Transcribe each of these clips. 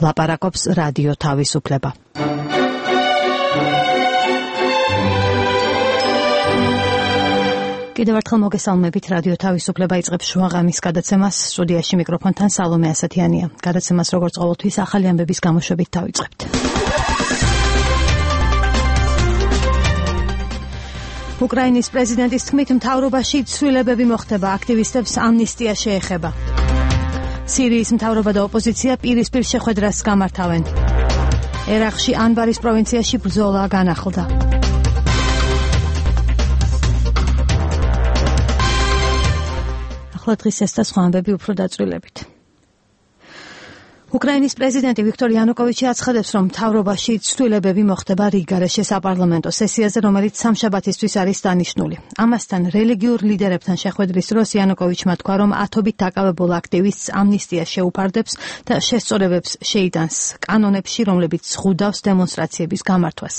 ლაპარაკობს რადიო თავისუფლება. კიდევ ერთხელ მოგესალმებით, რადიო თავისუფლება იწყებს შუაღამის გადაცემას. სტუდიაში მიკროფონთან სალომე ასათიანია. გადაცემას როგორც ყოველთვის ახალი ამბების გამოშვებით დავიწყებთ. უკრაინის პრეზიდენტის თქმით, მთავრობაში ცვლილებები მოხდება, აქტივისტებს ამნისტია შეეხება. სირიის მთავრობა და ოპოზიცია პირისპირ შეხვედრას გამართავენ. ერაყში ანბარის პროვინციაში ბრძოლა განახლდა. ახლა დღის ეს და სხვა ამბები უფრო დაწვრილებით. უკრაინის პრეზიდენტი ვიქტორ იანუკოვიჩი აცხადებს, რომ მთავრობაში ცვლილებები მოხდება რიგგარეშე საპარლამენტო სესიაზე, რომელიც სამშაბათისთვის არის დანიშნული. ამასთან რელიგიურ ლიდერებთან შეხვედრის დროს იანუკოვიჩმა თქვა, რომ ათობით დაკავებულ აქტივისტს ამნისტია შეუფარდებს და შესწორებებს შეიტანს კანონებში, რომლებიც ზღუდავს დემონსტრაციების გამართვას.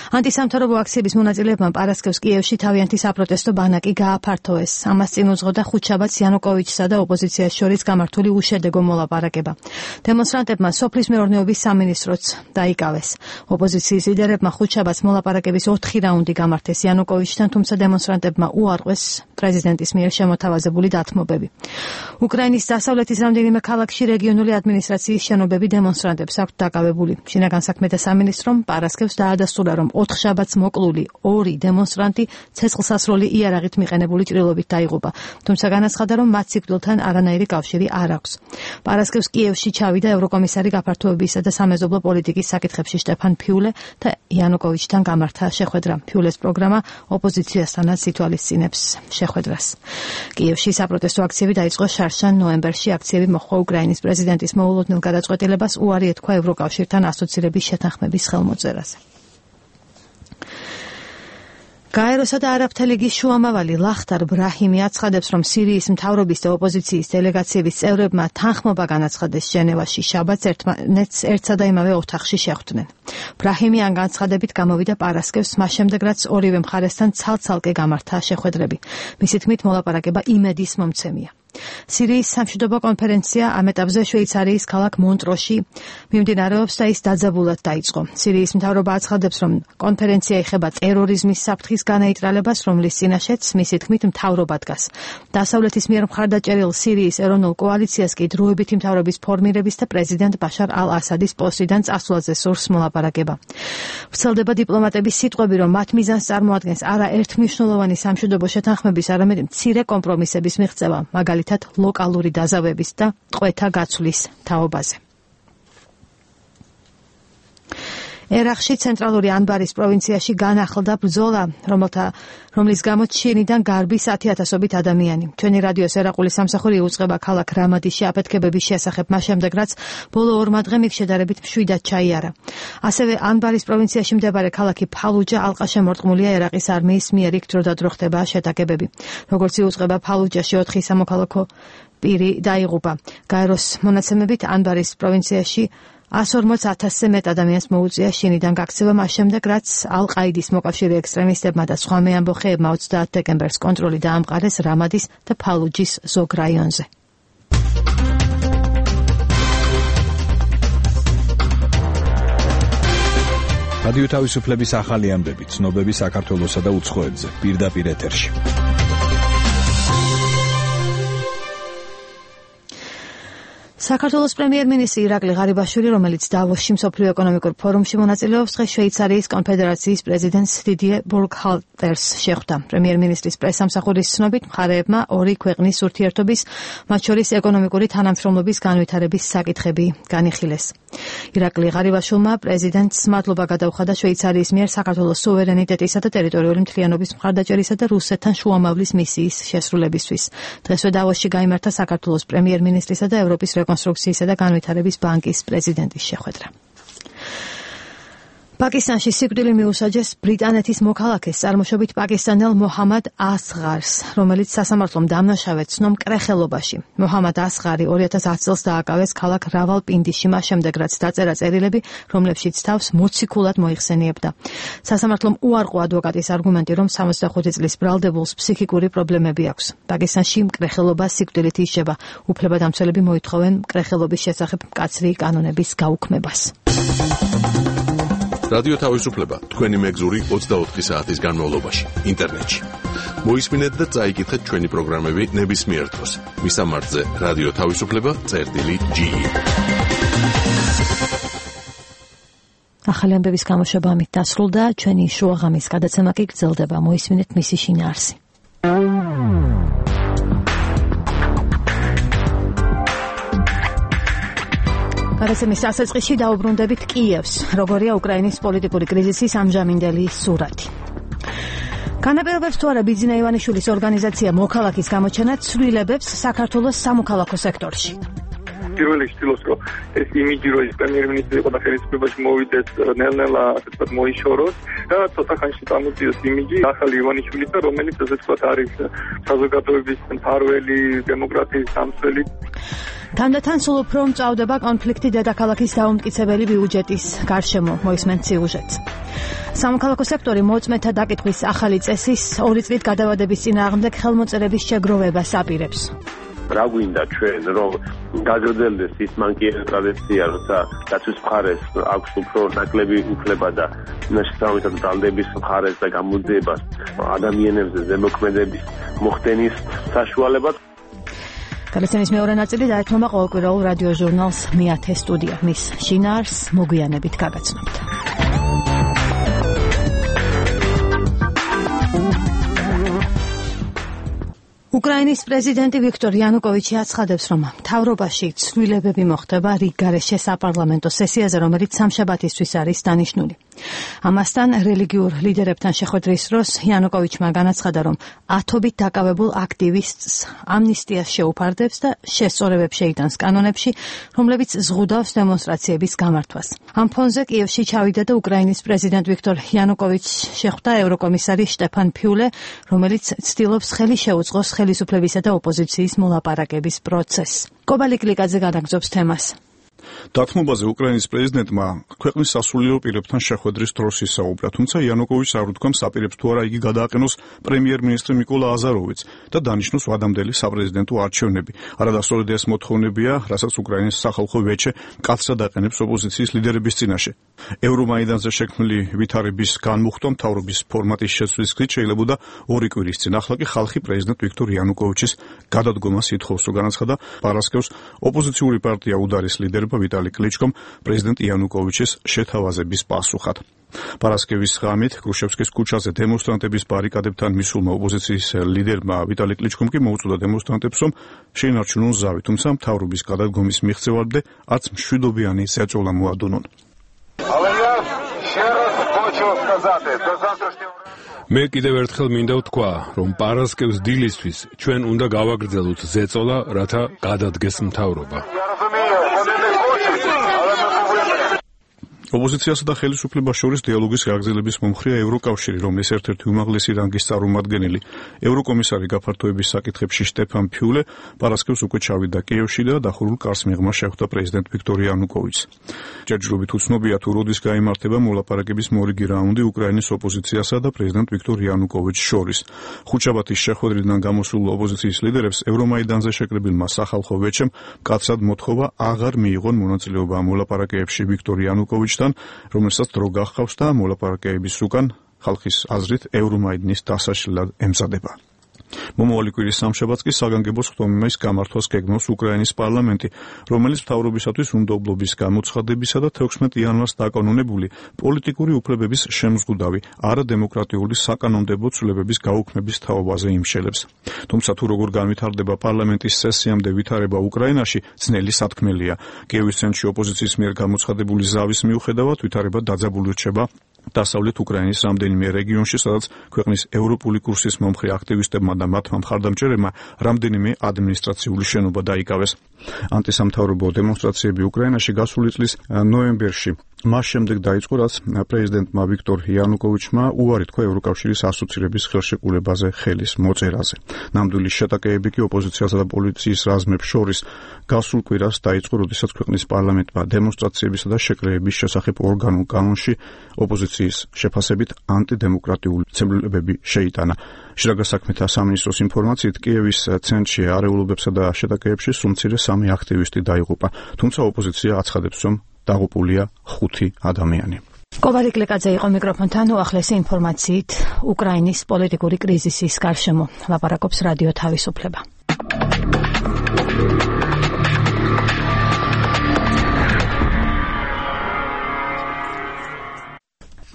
ანტისამთავრობო აქციების მონაწილეებმა პარასკევს კიევში თავიანთი საპროტესტო ბანაკი გააფართოვეს. ამას წინ უძღოდა ხუთშაბათს იანუკოვიჩსა და ოპოზიციას შორის გამართული უშედეგო მოლაპარაკება. დემონსტრანტებმა სოფლის მეურნეობის სამინისტროც დაიკავეს. ოპოზიციის ლიდერებმა ხუთშაბათს მოლაპარაკების 4 რაუნდი გამართეს იანუკოვიჩთან, თუმცა დემონსტრანტებმა უარყვეს პრეზიდენტის მიერ შემოთავაზებული დათმობები. უკრაინის დასავლეთის რამდენიმე ქალაქში რეგიონული ადმინისტრაციის შენობები დემონსტრანტებს აქვთ დაკავებული. შინაგან საქმეთა სამინისტრომ პარასკევს დაადასტურა, რომ 4 შაბათს მოკლული 2 დემონსტრანტი ცეცხლსასროლი იარაღით მიყენებული ჭრილობით დაიღუპა, თუმცა განაცხადა, რომ მათ სიკვდილთან არანაირი კავშირი არ აქვს. პარასკევს კიევში ჩავიდა ევროკომისარი გაფართოებისა და სამეზობლო პოლიტიკის საკითხებში შტეფან ფიულე და იანუკოვიჩთან გამართა შეხვედრა. ფიულეს პროგრამა ოპოზიციასთანაც ითვალისწინებს შეხვედრას. კიევში საპროტესტო აქციები დაიწყო შარშან ნოემბერში. აქციები მოჰყვა უკრაინის პრეზიდენტის მოულოდნელ გადაწყვეტილებას უარი ეთქვა ევროკავშირთან ასოცირების შეთანხმების ხელმოწერაზე. გაეროსა და არაბთა ლიგის შუამავალი ლახტარ ბრაჰიმი აცხადებს, რომ სირიის მთავრობის და ოპოზიციის დელეგაციების წევრებმა თანხმობა განაცხადეს ჟენევაში შაბათს ერთმანეთს ერთსა და იმავე ოთახში შეხვდნენ. ბრაჰიმი ამ განცხადებით გამოვიდა პარასკევს, მას შემდეგ რაც ორივე მხარესთან ცალ-ცალკე გამართა შეხვედრები. მისი თქმით, მოლაპარაკება იმედის მომცემია. სირიის სამშვიდობო კონფერენცია ამ ეტაპზე შვეიცარიის ქალაქ მონტროში მიმდინარეობს და ის დაძაბულად დაიწყო. სირიის მთავრობა აცხადებს, რომ კონფერენცია ეხება ტერორიზმის საფრთხის განაიტრალებას, რომლის წინაშეც მისი თქმით მთავრობა დგას. დასავლეთის მიერ მხარდაჭერილ სირიის ეროვნულ კოალიციას კი დროებითი მთავრობის ფორმირების და პრეზიდენტ ბაშარ ალ-ასადის პოსტიდან წასვლაზე სურს მოლაპარაკება. ვრცელდება დიპლომატების სიტყვები, რომ მათ მიზანს წარმოადგენს არა ერთმნიშვნელოვანი სამშვიდობო შეთანხმების, არამედ მცირე კომპრომისების მიღწევა, მაგალითად ლოკალური დაზავების და ტყვეთა გაცვლის თაობაზე. ერაყში ცენტრალური ანბარის პროვინციაში განახლდა ბრძოლა, რომლის გამოც შინიდან გარბის 10,000-ობით ადამიანი. ჩვენი რადიოს ერაყული სამსახური უწყება ქალაქ რამადიში აფეთქებების შესახებ, მას შემდეგ რაც ბოლო 2 დღე იქ შედარებით მშვიდად ჩაიარა. ასევე ანბარის პროვინციაში მდებარე ქალაქი ფალუჯა ალყაშემორტყმულია ერაყის არმიის მიერ, იქ დროდადრო ხდება შეტაკებები. როგორც იუწყება, ფალუჯაში 4 სამოქალაქო პირი დაიღუპა. გაეროს მონაცემებით ანბარის პროვინციაში 140,000-ზე მეტ ადამიანს მოუწია შინიდან გაქცევა, მას შემდეგ რაც ალ-ყაიდის მოკავშირე ექსტრემისტებმა და სხვა მეამბოხეებმა 30 დეკემბერს კონტროლი დაამყარეს რამადის და ფალუჯის ზოგ რაიონზე. რადიო თავისუფლების ახალი ამბები, ცნობები საქართველოსა და უცხოეთზე, პირდაპირ ეთერში. საქართველოს პრემიერ-მინისტრი ირაკლი ღარიბაშვილი, რომელიც დავოსში მსოფლიო ეკონომიკურ ფორუმში მონაწილეობს, დღეს შვეიცარიის კონფედერაციის პრეზიდენტს დიდიე ბურგჰალტერს შეხვდა. პრემიერ-მინისტრის პრესამსახურის ცნობით, მხარეებმა 2 ქვეყნის ურთიერთობის, მათ შორის ეკონომიკური თანამშრომლობის განვითარების საკითხები განიხილეს. ირაკლი ღარიბაშვილმა პრეზიდენტს მადლობა გადაუხადა შვეიცარიის მიერ საქართველოს სუვერენიტეტისა და ტერიტორიული მთლიანობის მხარდაჭერისა და რუსეთთან შუამავლის მისიის შესრულებისთვის. დღესვე დავოსში გაიმართა საქართველოს პრემიერ-მინისტრისა და ევროპის რეკონსტრუქციისა და განვითარების ბანკის პრეზიდენტის შეხვედრა. პაკისტანში სიკვდილი მიუსაჯეს ბრიტანეთის მოქალაქეს წარმოშობით პაკისტანელ მოჰამად ასღარს, რომელიც სასამართლომ დამნაშავედ ცნო მკრეხელობაში. მოჰამად ასღარი 2010 წელს დააკავეს ქალაქ რავალპინდიში, მას შემდეგ რაც დაწერა წერილები, რომლებშიც თავს მოციქულად მოიხსენიებდა. სასამართლომ უარყო ადვოკატის არგუმენტი, რომ 65 წლის ბრალდებულს ფსიქიკური პრობლემები აქვს. პაკისტანში მკრეხელობა სიკვდილით იშება. უფლებადამცველები მოითხოვენ მკრეხელობის შესახებ მკაცრი კანონების გაუქმებას. რადიო თავისუფლება თქვენი მეგზური 24 საათის განმავლობაში ინტერნეტში. მოისმინეთ და წაიკითხეთ ჩვენი პროგრამები ნებისმიერ დროს. მისამართზე რადიო თავისუფლება.ge. ახალი ამბების გამოშვება ამით დასრულდა, ჩვენი შუაღამის გადაცემა კი გრძელდება. მოისმინეთ მისი შინაარსი. გადაცემის დასაწყისში დაუბრუნდებით კიევს, როგორია უკრაინის პოლიტიკური კრიზისის ამჟამინდელი სურათი. განაპირობებს თუ არა ბიძინა ივანიშვილის ორგანიზაცია მოქალაქის გამოჩენა ცვლილებებს საქართველოს სამოქალაქო სექტორში. პირველი ცდილობს, რომ ეს იმიჯი, რომ ის პრემიერ-მინისტრი იყო და ხელისუფლებაში მოვიდეს, ნელ-ნელა ასე ვთქვათ მოიშოროს და ცოტა ხანში წამოწიოს იმიჯი ახალი ივანიშვილისა, რომელიც ასე ვთქვათ არის საზოგადოების მფარველი, დემოკრატიის დამცველი. თანდათან სულ უფრო მწავდება კონფლიქტი დედაქალაქის დაუმტკიცებელი ბიუჯეტის გარშემო, მოისმენთ სიუჟეტს. სამოქალაქო სექტორი მოწმეთა დაკითხვის ახალი წესის 2 წლით გადავადების წინააღმდეგ ხელმოწერების შეგროვებას აპირებს. რა გვინდა ჩვენ, რომ გაგრძელდეს ის მანკიერი ტრადიცია, როცა დაცვის მხარეს აქვს უფრო ნაკლები უფლება და შესაბამისად ბრალდების მხარეს და გამოძიებას ადამიანებზე ზემოქმედების მოხდენის საშუალება. გადაცემის მეორე ნაწილი დაეთმობა ყოველკვირეულ რადიო ჟურნალს მე-10 სტუდია. მის შინაარსს მოგვიანებით გაგაცნობთ. უკრაინის პრეზიდენტი ვიქტორ იანუკოვიჩი აცხადებს, რომ მთავრობაში ცვლილებები მოხდება რიგგარეშე საპარლამენტო სესიაზე, რომელიც სამშაბათისთვის არის დანიშნული. ამასთან რელიგიურ ლიდერებთან შეხვედრის დროს იანუკოვიჩმა განაცხადა, რომ ათობით დაკავებულ აქტივისტს ამნისტიას შეუფარდებს და შესწორებებს შეიტანს კანონებში, რომლებიც ზღუდავს დემონსტრაციების გამართვას. ამ ფონზე კიევში ჩავიდა და უკრაინის პრეზიდენტ ვიქტორ იანუკოვიჩს შეხვდა ევროკომისარი შტეფან ფიულე, რომელიც ცდილობს ხელი შეუწყოს ხელისუფლებისა და ოპოზიციის მოლაპარაკების პროცესს. კობალიკ ლიკაძე განაგრძობს თემას. დათმობაზე უკრაინის პრეზიდენტმა ქვეყნის სასულიერო პირებთან შეხვედრის დროს ისაუბრა, თუმცა იანუკოვიჩს არ უთქვამს აპირებს თუ არა იგი გადააყენოს პრემიერ-მინისტრი მიკოლა აზაროვიც და დანიშნოს ვადამდელი საპრეზიდენტო არჩევნები. არადასწორად ეს მოთხოვნებია, რასაც უკრაინის სახალხო ვეჩე მკაცრად აყენებს ოპოზიციის ლიდერების წინაშე. ევრომაიდანზე შექმნილი ვითარების განმუხტვა მთავრობის ფორმატის შეცვლის გზით შეიძლებოდა 2 კვირის წინ. ახლა კი ხალხი პრეზიდენტ ვიქტორ იანუკოვიჩის გადადგომას ითხოვს, განაცხადა პარასკევს ოპოზიციური პარტია უდარის ლიდერმა ვიტალი კლიჩკომ პრეზიდენტ იანუკოვიჩის შეთავაზების პასუხად. პარასკევის ღამით კრუშევსკის ქუჩაზე დემონსტრანტების ბარიკადებთან მისულმა ოპოზიციის ლიდერმა ვიტალი კლიჩკომ კი მოუწოდა დემონსტრანტებს, რომ შეინარჩუნონ ზავი, თუმცა მთავრობის გადადგომის მიღწევამდე არც მშვიდობიანი ზეწოლა მოადუნონ. მე კიდევ ერთხელ მინდა ვთქვა, რომ პარასკევს დილისთვის ჩვენ უნდა გავაგრძელოთ ზეწოლა, რათა გადადგეს მთავრობა. ოპოზიციასა და ხელისუფლებას შორის დიალოგის გაგრძელების მომხრეა ევროკავშირი, რომლის ერთ-ერთი უმაღლესი რანგის წარმომადგენელი, ევროკომისარი გაფართოების საკითხებში შტეფან ფიულე პარასკევს უკვე ჩავიდა კიევში და დახურულ კარს მიღმა შეხვდა პრეზიდენტ ვიქტორ იანუკოვიჩს. ჯერჯერობით უცნობია თუ როდის გაიმართება მოლაპარაკების მორიგი რაუნდი უკრაინის ოპოზიციასა და პრეზიდენტ ვიქტორ იანუკოვიჩს შორის. ხუთშაბათის შეხვედრიდან გამოსულ ოპოზიციის ლიდერებს ევრომაიდანზე შეკრებილმა სახალხო ვეჩემ მკაცრად მოთხოვა აღარ მიიღონ მონაწილეობა მოლაპარაკებებში ვიქტორ იანუკოვიჩს, რომელსაც დრო გახავს და მოლაპარაკებების უკან ხალხის აზრით ევრომაიდნის დასაშლელად ემზადება. მომავალი კვირის სამშაბათს კი საგანგებო სხდომის გამართვას გეგმავს უკრაინის პარლამენტი, რომელიც მთავრობისათვის უნდობლობის გამოცხადებისა და 16 იანვარს დაკანონებული პოლიტიკური უფლებების შემზღუდავი არადემოკრატიული საკანონმდებლო ცვლილებების გაუქმების თაობაზე იმშელებს. თუმცა თუ როგორ განვითარდება პარლამენტის სესიამდე ვითარება უკრაინაში, ძნელი სათქმელია. კიევის ცენტრში ოპოზიციის მიერ გამოცხადებული ზავის მიუხედავად ვითარება დაძაბული რჩება დასავლეთ უკრაინის რამდენიმე რეგიონში, სადაც ქვეყნის ევროპული კურსის მომხრე აქტივისტებმა და მათმა მხარდამჭერებმა რამდენიმე ადმინისტრაციული შენობა დაიკავეს. ანტისამთავრობო დემონსტრაციები უკრაინაში გასული წლის ნოემბერში მას შემდეგ დაიწყო, რაც პრეზიდენტმა ვიქტორ იანუკოვიჩმა უარი თქვა ევროკავშირის ასოცირების ხელშეკრულებაზე ხელის მოწერაზე. ნამდვილი შეტაკებები კი ოპოზიციასა და პოლიციის რაზმებს შორის გასულ კვირას დაიწყო, როდესაც ქვეყნის პარლამენტმა დემონსტრაციებისა და შეკრებების შესახებ ორგანულ კანონში ოპოზიციის შეფასებით ანტიდემოკრატიული ცვლილებები შეიტანა. შრაგა საქმეთა სამინისტროს ინფორმაციით, კიევის ცენტრში არეულობებსა და შეტაკებებში სულ სამი აქტივისტი დაიღუპა, თუმცა ოპოზიცია აცხადებს, რომ დაღუპულია 5 ადამიანი. კობარი კლეკაძე იყო მიკროფონთან, უახლესი ინფორმაციით უკრაინის პოლიტიკური კრიზისის გარშემო ლაპარაკობს რადიო თავისუფლება.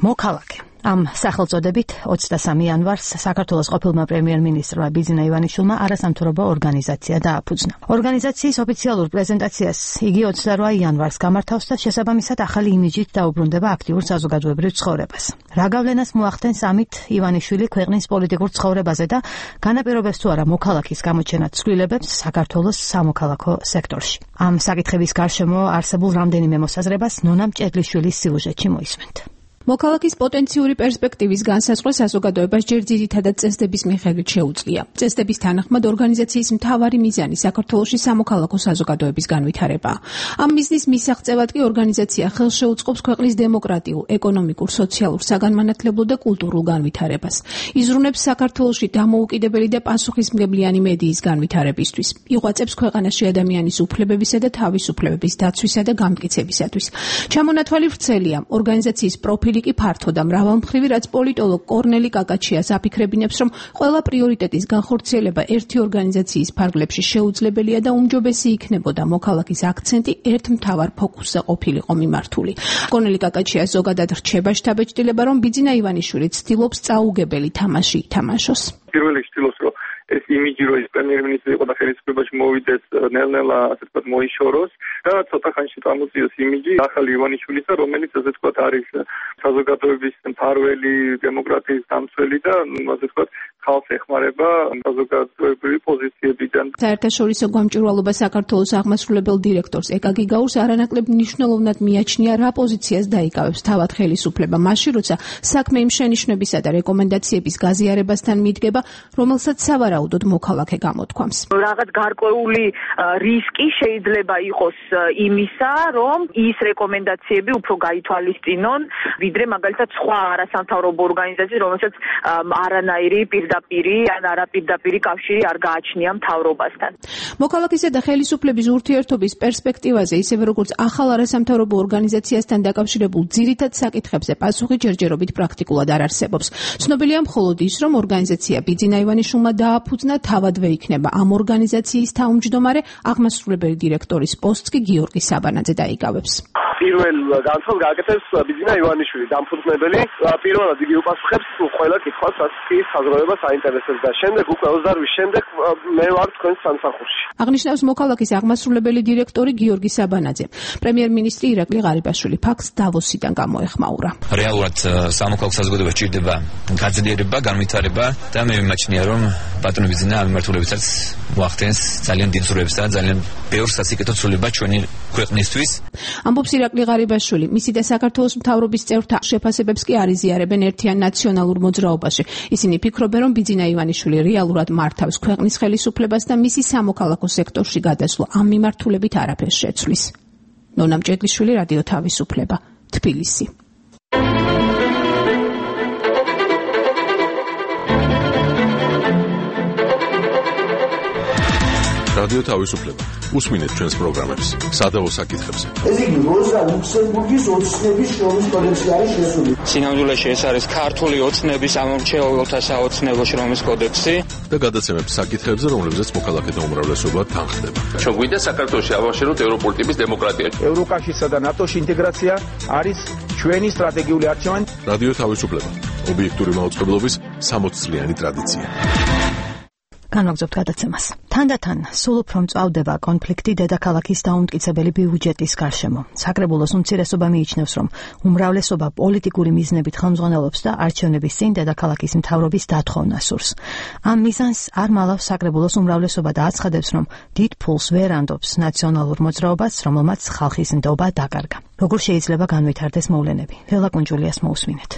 მოქალაქე. ამ სახელწოდებით 23 იანვარს საქართველოს ყოფილმა პრემიერ-მინისტრმა ბიძინა ივანიშვილმა არასამთავრობო ორგანიზაცია დააფუძნა. ორგანიზაციის ოფიციალურ პრეზენტაციას იგი 28 იანვარს გამართავს და შესაბამისად ახალი იმიჯით დაუბრუნდება აქტიურ საზოგადოებრივ ცხოვრებას. რა გავლენას მოახდენს ამით ივანიშვილი ქვეყნის პოლიტიკურ ცხოვრებაზე და განაპირობებს თუ არა მოქალაქის გამოჩენად ცვლილებებს საქართველოს სამოქალაქო სექტორში. ამ საკითხების გარშემო არსებულ რამდენიმე მოსაზრებას ნონა მჭედლიშვილის სიუჟეტში მოისმენთ. მოქალაქის პოტენციური პერსპექტივის განსაზღვრა საზოგადოებას ჯერ ძირითადად წესდების მიხედვით შეუძლია. წესდების თანახმად ორგანიზაციის მთავარი მიზანი საქართველოში სამოქალაქო საზოგადოების განვითარებაა. ამ მიზნის მისაღწევად კი ორგანიზაცია ხელს შეუწყობს ქვეყნის დემოკრატიულ, ეკონომიკურ, სოციალურ, საგანმანათლებლო და კულტურულ განვითარებას. იზრუნებს საქართველოში დამოუკიდებელი და პასუხისმგებლიანი მედიის განვითარებისთვის. იღვაწებს ქვეყანაში ადამიანის უფლებებისა და თავისუფლებების დაცვისა და გამტკიცებისათვის. ჩამონათვალი ვრცელია ორგანიზაციის პროფილი კი ფართო და მრავალმხრივი, რაც პოლიტოლოგ კორნელი კაკაჩიას აფიქრებინებს, რომ ყველა პრიორიტეტის განხორციელება ერთი ორგანიზაციის ფარგლებში შეუძლებელია და უმჯობესი იქნებოდა მოქალაქის აქცენტი ერთ მთავარ ფოკუსზე ყოფილიყო მიმართული. კორნელი კაკაჩიას ზოგადად რჩება შთაბეჭდილება, რომ ბიძინა ივანიშვილი ცდილობს წაუგებელი თამაში ითამაშოს. პირველი ცდილობს, რომ ეს იმიჯი, რომ ის პრემიერ-მინისტრი იყო და ხელისუფლებაში მოვიდეს, ნელ-ნელა ასე ვთქვათ მოიშოროს და ცოტა ხანში წამოწიოს იმიჯი ახალი ივანიშვილისა, რომელიც ასე ვთქვათ არის საზოგადოების მფარველი, დემოკრატიის დამცველი და ასე ვთქვათ ხალხს ეხმარება საზოგადოებრივი პოზიციებიდან. საერთაშორისო გამჭვირვალობა საქართველოს აღმასრულებელ დირექტორს ეკა გიგაურს არანაკლებ მნიშვნელოვნად მიაჩნია, რა პოზიციას დაიკავებს თავად ხელისუფლება მაშინ, როცა საქმე იმ შენიშვნებისა და რეკომენდაციების გაზიარებასთან მიდგება, რომელსაც სავარაუდოდ მოქალაქე გამოთქვამს. რაღაც გარკვეული რისკი შეიძლება იყოს იმისა, რომ ის რეკომენდაციები უფრო გაითვალისწინონ, ვიდრე მაგალითად სხვა არასამთავრობო ორგანიზაციის, რომელსაც არანაირი პირდაპირი ან არაპირდაპირი კავშირი არ გააჩნია მთავრობასთან. მოქალაქისა და ხელისუფლების ურთიერთობის პერსპექტივაზე, ისევე როგორც ახალ არასამთავრობო ორგანიზაციასთან დაკავშირებულ ძირითად საკითხებზე პასუხი ჯერჯერობით პრაქტიკულად არ არსებობს. ცნობილია მხოლოდ ის, რომ ორგანიზაცია ბიძინა ივანიშვილმა დააფუძნა, თავადვე იქნება ამ ორგანიზაციის თავმჯდომარე, აღმასრულებელი დირექტორის პოსტს კი გიორგი საბანაძე დაიკავებს. პირველ განცხადებას გააკეთებს ბიძინა ივანიშვილი, დამფუძნებელი. პირველად იგი უპასუხებს ყველა კითხვას, რაც ის საზოგადოებას აინტერესებს და შემდეგ უკვე 28 შემდეგ მე ვარ თქვენს სამსახურში. აღნიშნავს მოქალაქის აღმასრულებელი დირექტორი გიორგი საბანაძე. პრემიერ-მინისტრი ირაკლი ღარიბაშვილი ფაქტს დავოსიდან გამოეხმაურა. რეალურად სამოქალაქო საზოგადოებას ჭირდება გაძლიერება, განვითარება და მე მიმაჩნია, რომ ბატონი ბიძინა ამ მიმართულებითაც მოახდენს ძალიან დიდ ზრუნვებს და ძალიან ბევრ სასიკეთო ცვლილება ჩვენი ქვეყნისთვის. ამბობს ირაკლი ღარიბაშვილი. მისი და საქართველოს მთავრობის წევრთა შეფასებებს კი არ იზიარებენ ერთიან ნაციონალურ მოძრაობაში. ისინი ფიქრობენ, რომ ბიძინა ივანიშვილი რეალურად მართავს ქვეყნის ხელისუფლებას და მისი სამოქალაქო სექტორში გადასვლა ამ მიმართულებით არაფერს შეცვლის. ნონა მჭედლიშვილი, რადიო თავისუფლება, თბილისი. რადიო თავისუფლება. უსმინეთ ჩვენს პროგრამებს, სადავო საკითხებს. ეს იგი როზა ლუქსემბურგის ოცნების შრომის კოდექსი არის შესული. სინამდვილეში ეს არის ქართული ოცნების ამორჩეულთა საოცნებო შრომის კოდექსი და გადაცემებს საკითხებზე, რომლებზეც მოქალაქეთა უმრავლესობა თანხდება. ჩვენ გვინდა საქართველოში ავაშენოთ ევროპული ტიპის დემოკრატია. ევროკავშირსა და ნატოში ინტეგრაცია არის ჩვენი სტრატეგიული არჩევანი. რადიო თავისუფლება. ობიექტური მაუწყებლობის 60 წლიანი ტრადიცია. განვაგრძობთ გადაცემას. თანდათან სულ უფრო მწვავდება კონფლიქტი დედაქალაქის დაუმტკიცებელი ბიუჯეტის გარშემო. საკრებულოს უმცირესობა მიიჩნევს, რომ უმრავლესობა პოლიტიკური მიზნებით ხელმძღვანელობს და არჩევნების წინ დედაქალაქის მთავრობის დათხოვნა სურს. ამ მიზანს არ მალავს საკრებულოს უმრავლესობა და აცხადებს, რომ დიდ ფულს ვერ ანდობს ნაციონალურ მოძრაობას, რომელმაც ხალხის ნდობა დაკარგა. როგორ შეიძლება განვითარდეს მოვლენები? ლელა კუნჯულიას მოусმინეთ.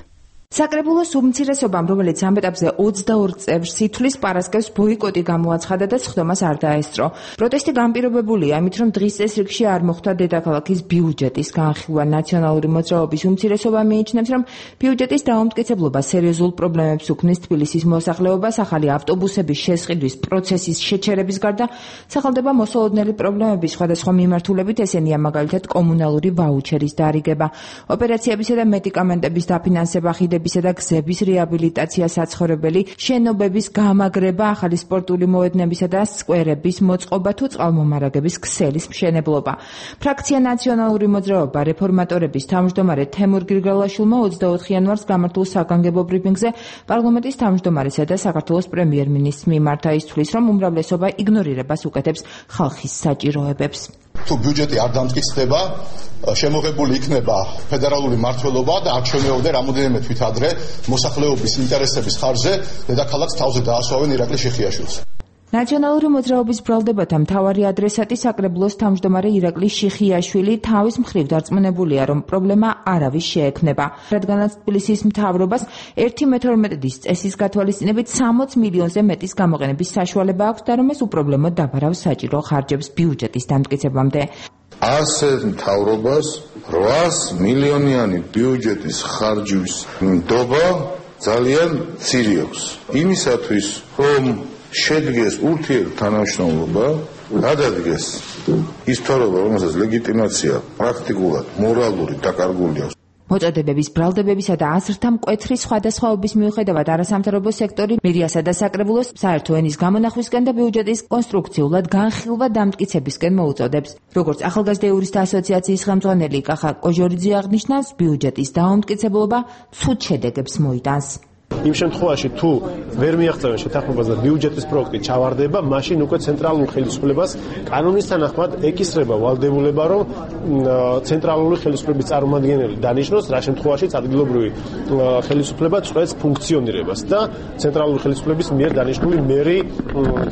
საკრებულოს უმცირესობამ, რომელიც ამ ეტაპზე 22 წევრს ითვლის, პარასკევს ბოიკოტი გამოაცხადა და სხდომას არ დაესწრო. პროტესტი განპირობებულია იმით, რომ დღის წესრიგში არ მოხდა დედაქალაქის ბიუჯეტის განხილვა. ნაციონალური მოძრაობის უმცირესობა მიიჩნევს, რომ ბიუჯეტის დაუმტკიცებლობა სერიოზულ პრობლემებს უქმნის თბილისის მოსახლეობას, ახალი ავტობუსების შესყიდვის პროცესის შეჩერების გარდა სახელდება მოსალოდნელი პრობლემები სხვადასხვა მიმართულებით, ესენია მაგალითად კომუნალური ვაუჩერის დარიგება, ოპერაციებისა და მედიკამენტების დაფინანსება, ისა და გზების რეაბილიტაცია, საცხოვრებელი შენობების გამაგრება, ახალი სპორტული მოედნებისა და სკვერების მოწყობა თუ წყალმომარაგების ქსელის მშენებლობა. ფრაქცია ნაციონალური მოძრაობა რეფორმატორების თავმჯდომარე თემურ გრიგალაშვილმა 24 იანვარს გამართულ საგანგებო ბრიფინგზე პარლამენტის თავმჯდომარესა და საქართველოს პრემიერ-მინისტრს მიმართა, ის თვლის, რომ უმრავლესობა იგნორირებას უკეთებს ხალხის საჭიროებებს. თუ ბიუჯეტი არ დამტკიცდება, შემოღებული იქნება ფედერალური მმართველობა და არ შემეორდა რამოდენიმე თვით ადრე მოსახლეობის ინტერესების ხარჯზე დედაქალაქს თავზე დაასვავენ ირაკლი შიხიაშვილს. ნაციონალური მოძრაობის ბრალდებათა მთავარი ადრესატი საკრებულოს თავმჯდომარე ირაკლი შიხიაშვილი თავის მხრივ დარწმუნებულია, რომ პრობლემა არავის შეექმნება, რადგანაც თბილისის მთავრობას 1/12 წესის გათვალისწინებით 60 მილიონზე მეტის გამოყენების საშუალება აქვს და რომ ეს უპრობლემოდ დაბარავს საჭირო ხარჯებს ბიუჯეტის დამტკიცებამდე. ასეთ მთავრობას 800 მილიონიანი ბიუჯეტის ხარჯვის ნდობა ძალიან მცირე აქვს. იმისათვის, რომ შედგეს ურთიერთთანამშრომლობა, გადადგეს ის მთავრობა, რომელსაც ლეგიტიმაცია პრაქტიკულად მორალური დაკარგული აქვს. მოწოდებების, ბრალდებებისა და აზრთა მკვეთრი სხვადასხვაობის მიუხედავად არასამთავრობო სექტორი მერიასა და საკრებულოს საერთო ენის გამონახვისკენ და ბიუჯეტის კონსტრუქციულად განხილვა დამტკიცებისკენ მოუწოდებს. როგორც ახალგაზრდა იურისტთა ასოციაციის ხელმძღვანელი კახა კოჟორიძე აღნიშნავს, ბიუჯეტის დაუმტკიცებლობა ცუდ შედეგებს მოიტანს. იმ შემთხვევაში თუ ვერ მიაღწევენ შეთანხმებას და ბიუჯეტის პროექტი ჩავარდება, მაშინ უკვე ცენტრალურ ხელისუფლებას კანონის თანახმად ეკისრება ვალდებულება, რომ ცენტრალური ხელისუფლების წარმომადგენელი დანიშნოს, რა შემთხვევაშიც ადგილობრივი ხელისუფლება წყვეტს ფუნქციონირებას და ცენტრალური ხელისუფლების მიერ დანიშნული მერი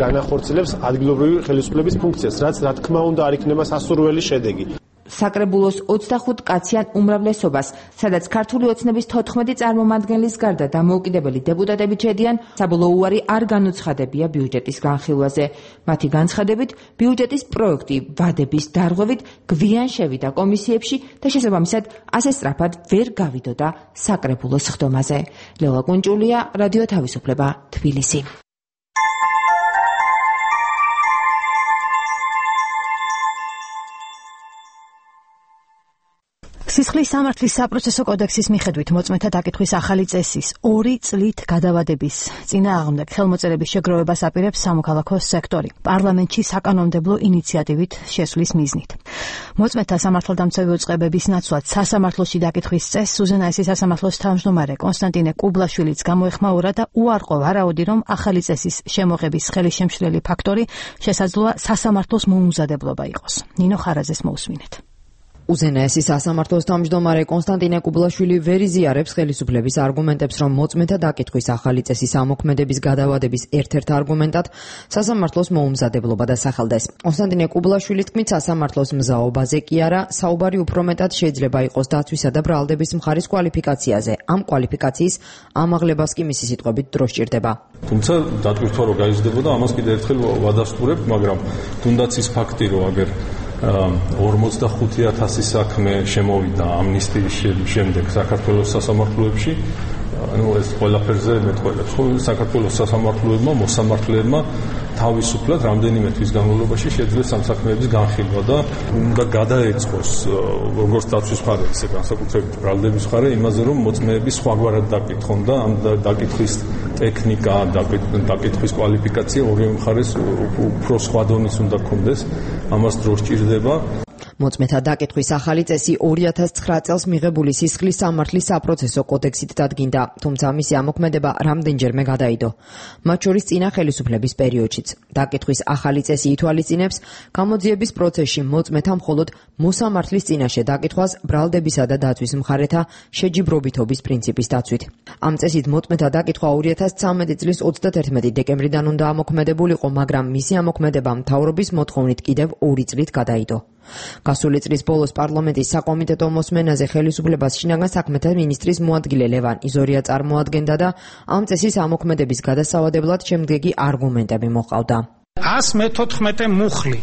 განახორციელებს ადგილობრივი ხელისუფლების ფუნქციას, რაც რა თქმა უნდა არ იქნება სასურველი შედეგი. საკრებულოს 25 კაციან უმრავლესობას, სადაც ქართული ოცნების 14 წარმომადგენლის გარდა დამოუკიდებელი დეპუტატები ჩედიან, საბოლოო უარი არ განუცხადებია ბიუჯეტის განხილვაზე. მათი განცხადებით, ბიუჯეტის პროექტი ვადების დარღვევით გვიან შევიდა კომისიებში და შესაბამისად ასე სწრაფად ვერ გავიდოდა საკრებულოს სხდომაზე. ლელა კუნჯულია, რადიო თავისუფლება, თბილისი. სისხლის სამართლის საპროცესო კოდექსის მიხედვით მოწმეთა დაკითხვის ახალი წესის 2 წლით გადავადების წინააღმდეგ ხელმოწერების შეგროვებას აპირებს სამოქალაქო სექტორი პარლამენტში საკანონმდებლო ინიციატივით შესვლის მიზნით. მოწმეთა სამართალდამცავი უწყებების ნაცვლად სასამართლოში დაკითხვის წესს უზენაესი სასამართლოს თავმჯდომარე კონსტანტინე კუბლაშვილიც გამოეხმაურა და უარყო ვარაუდი, რომ ახალი წესის შემოღების ხელისშემშლელი ფაქტორი შესაძლოა სასამართლოს მოუმზადებლობა იყოს. ნინო ხარაძეს მოусმინეთ. უზენაესი სასამართლოს თავმჯდომარე კონსტანტინე კუბლაშვილი ვერ იზიარებს ხელისუფლების არგუმენტებს, რომ მოწმეთა დაკითხვის ახალი წესის ამოქმედების გადავადების ერთ-ერთ არგუმენტად სასამართლოს მოუმზადებლობა დასახელდეს. კონსტანტინე კუბლაშვილის თქმით, სასამართლოს მზაობაზე კი არა, საუბარი უფრო მეტად შეიძლება იყოს დაცვისა და ბრალდების მხარის კვალიფიკაციაზე. ამ კვალიფიკაციის ამაღლებას კი მისი სიტყვებით დრო სჭირდება. თუმცა დატვირთვა რომ გაიზრდებოდა, ამას კიდევ ერთხელ ვადასტურებ, მაგრამ თუნდაც ის ფაქტი, რომ აგერ 45,000 საქმე შემოვიდა ამნისტიის შემდეგ საქართველოს სასამართლოებში, ანუ ეს ყველაფერზე მეტყველებს. საქართველოს სასამართლოებმა, მოსამართლეებმა თავისუფლად რამდენიმე თვის განმავლობაში შეძლეს ამ საქმეების განხილვა და უნდა გადაეწყოს როგორც დაცვის მხარე, ისე განსაკუთრებით ბრალდების მხარე იმაზე, რომ მოწმეები სხვაგვარად დაკითხონ და ამ დაკითხვის ტექნიკა, დაკითხვის კვალიფიკაცია ორივე მხარეს უფრო სხვა დონის უნდა ქონდეს. ამას დრო სჭირდება. მოწმეთა დაკითხვის ახალი წესი 2009 წელს მიღებული სისხლის სამართლის საპროცესო კოდექსით დადგინდა, თუმცა მისი ამოქმედება რამდენჯერმე გადაიდო. მათ შორის წინა ხელისუფლების პერიოდშიც. დაკითხვის ახალი წესი ითვალისწინებს გამოძიების პროცესში მოწმეთა მხოლოდ მოსამართლის წინაშე დაკითხვას ბრალდებისა და დაცვის მხარეთა შეჯიბრობითობის პრინციპის დაცვით. ამ წესით მოწმეთა დაკითხვა 2013 წლის 31 დეკემბრიდან უნდა ამოქმედებულიყო, მაგრამ მისი ამოქმედება მთავრობის მოთხოვნით კიდევ 2 წლით გადაიდო. გასული წლის ბოლოს პარლამენტის საკომიტეტო მოსმენაზე ხელისუფლებას შინაგან საქმეთა მინისტრის მოადგილე ლევან იზორია წარმოადგენდა და ამ წესის ამოქმედების გადასავადებლად შემდეგი არგუმენტები მოყავდა. 114 მუხლი,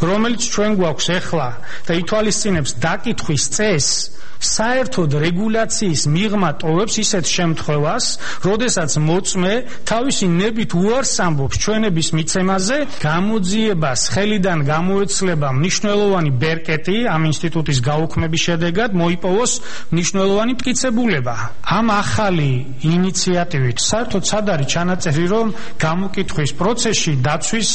რომელიც ჩვენ გვაქვს ახლა და ითვალისწინებს დაკითხვის წესს, საერთოდ რეგულაციის მიღმა ტოვებს ისეთ შემთხვევას, როდესაც მოწმე თავისი ნებით უარს ამბობს ჩვენების მიცემაზე, გამოძიებას ხელიდან გამოეცლება მნიშვნელოვანი ბერკეტი ამ ინსტიტუტის გაუქმების შედეგად მოიპოვოს მნიშვნელოვანი მტკიცებულება. ამ ახალი ინიციატივით საერთოდ სად არის ჩანაწერი, რომ გამოკითხვის პროცესში დაცვის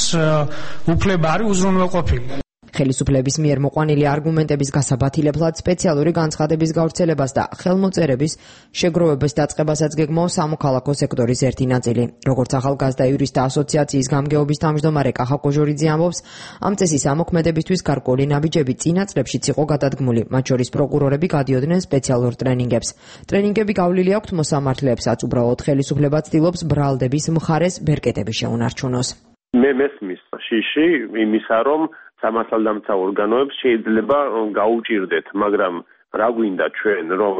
უფლება არის უზრუნველყოფილი. ხელისუფლების მიერ მოყვანილი არგუმენტების გასაბათილებლად სპეციალური განცხადების გავრცელებას და ხელმოწერების შეგროვების დაწყებასაც გეგმავს სამოქალაქო სექტორის ერთი ნაწილი. როგორც ახალგაზრდა იურისტთა ასოციაციის გამგეობის თავმჯდომარე კახა კოჟორიძე ამბობს, ამ წესის ამოქმედებისთვის გარკვეული ნაბიჯები წინა წლებშიც იყო გადადგმული, მათ შორის პროკურორები გადიოდნენ სპეციალურ ტრენინგებს. ტრენინგები გავლილი აქვთ მოსამართლეებსაც, უბრალოდ ხელისუფლება ცდილობს ბრალდების მხარეს ბერკეტები შეუნარჩუნოს. მე მესმის შიში იმისა, რომ სამართალდამცა ორგანოებს შეიძლება გაუჭირდეთ, მაგრამ რა გვინდა ჩვენ, რომ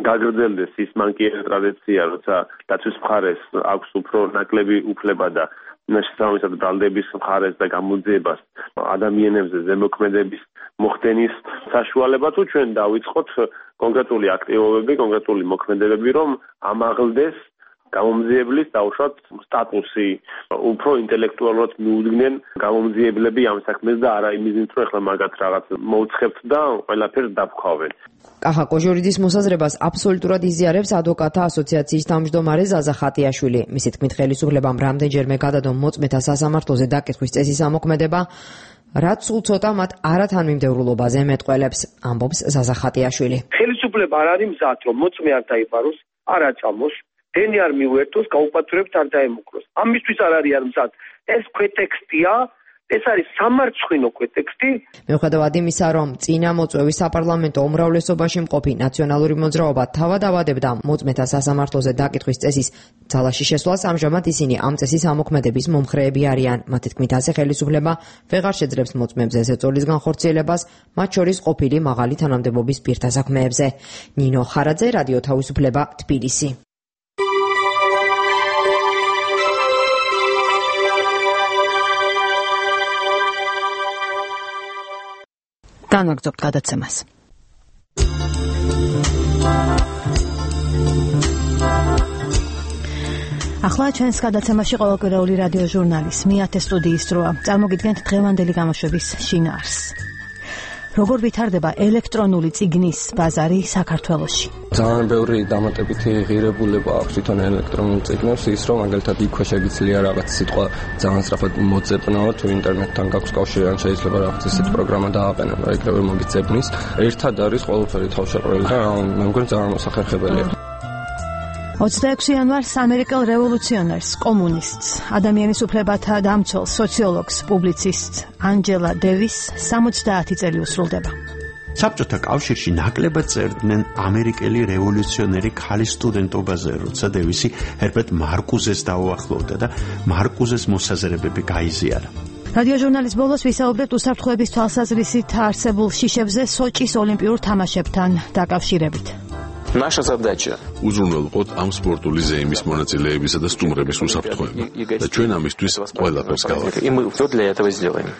გაგრძელდეს ის მანკიერი ტრადიცია, როცა დაცვის მხარეს აქვს უფრო ნაკლები უფლება და შესაბამისად ბრალდების მხარეს და გამოძიებას ადამიანებზე ზემოქმედების მოხდენის საშუალება, თუ ჩვენ დავიწყოთ კონკრეტული აქტივობები, კონკრეტული მოქმედებები, რომ ამაღლდეს გამომძიებლის დაუშვათ სტატუსი, უფრო ინტელექტუალურად მიუდგნენ გამომძიებლები ამ საქმეს და არა იმიზით, რომ ახლა მაგათ რაღაც მოუცხებთ და ყველაფერს დავქვავენ. კახა კოჟორიძის მოსაზრებას აბსოლუტურად იზიარებს ადვოკატთა ასოციაციის თავმჯდომარე ზაზა ხატიაშვილი. მისი თქმით, ხელისუფლებამ რამდენჯერმე გადადო მოწმეთა სასამართლოზე დაკითხვის წესის ამოქმედება, რაც სულ ცოტა მათ არათანმიმდევრულობაზე მეტყველებს, ამბობს ზაზა ხატიაშვილი. ხელისუფლება არ არის მზად, რომ მოწმე არ დაიბაროს, არ აწამოს, დენი არ მიუერთოს, გაუპატროებთ არ დაემუქროს. ამისთვის არ არის არ მზად. ეს ქვეტექსტია, ეს არის სამარცხვინო ქვეტექსტი. მიუხედავად იმისა, რომ წინა მოწვევის საპარლამენტო უმრავლესობაში მყოფი ნაციონალური მოძრაობა თავად ავადებდა მოწმეთა სასამართლოზე დაკითხვის წესის ძალაში შესვლას, ამჟამად ისინი ამ წესის ამოქმედების მომხრეები არიან. მათი თქმით, ასე ხელისუფლება ვეღარ შეძლებს მოწმეებზე ზეწოლის განხორციელებას, მათ შორის ყოფილი მაღალი თანამდებობის პირთა საქმეებზე. ნინო ხარაძე, რადიო თავისუფლება, თბილისი. განვაგრძობთ გადაცემას. ახლა ჩვენს გადაცემაში ყოველკვირეული რადიო ჟურნალის მეათე სტუდიის დროა. წარმოგიდგენთ დღევანდელი გამოშვების შინაარსს. როგორ ვითარდება ელექტრონული წიგნის ბაზარი საქართველოში? ძალიან ბევრი დამატებითი ღირებულება აქვს თვითონ ელექტრონულ წიგნებს, ის რომ მაგალითად იქვე შეგიძლია რაღაც სიტყვა ძალიან სწრაფად მოძებნაო, თუ ინტერნეტთან გაქვს კავშირი, ან შეიძლება რაღაც ისეთ პროგრამა დააყენო, რა იქნება მოგიძებნის. ერთად არის ყველაფერი თავშეყრილი და მე მგონი ძალიან მოსახერხებელია. 26 იანვარს ამერიკელ რევოლუციონერს, კომუნისტს, ადამიანის უფლებათა დამცველს, სოციოლოგს, პუბლიცისტს ანჯელა დევის 70 წელი უსრულდება. საბჭოთა კავშირში ნაკლებად წერდნენ ამერიკელი რევოლუციონერი ქალის სტუდენტობაზე, როცა დევისი ჰერბერტ მარკუზეს დაუახლოვდა და მარკუზეს მოსაზრებები გაიზიარა. რადიო ჟურნალის ბოლოს ვისაუბრებთ უსაფრთხოების თვალსაზრისით არსებულ შიშებზე სოჭის ოლიმპიურ თამაშებთან დაკავშირებით. Наша задача უზრუნველყოთ ამ სპორტული ზეიმის მონაწილეებისა და სტუმრების უსაფრთხოება და ჩვენ ამისთვის ყველაფერს გავაკეთებთ. И мы всё для этого сделаем.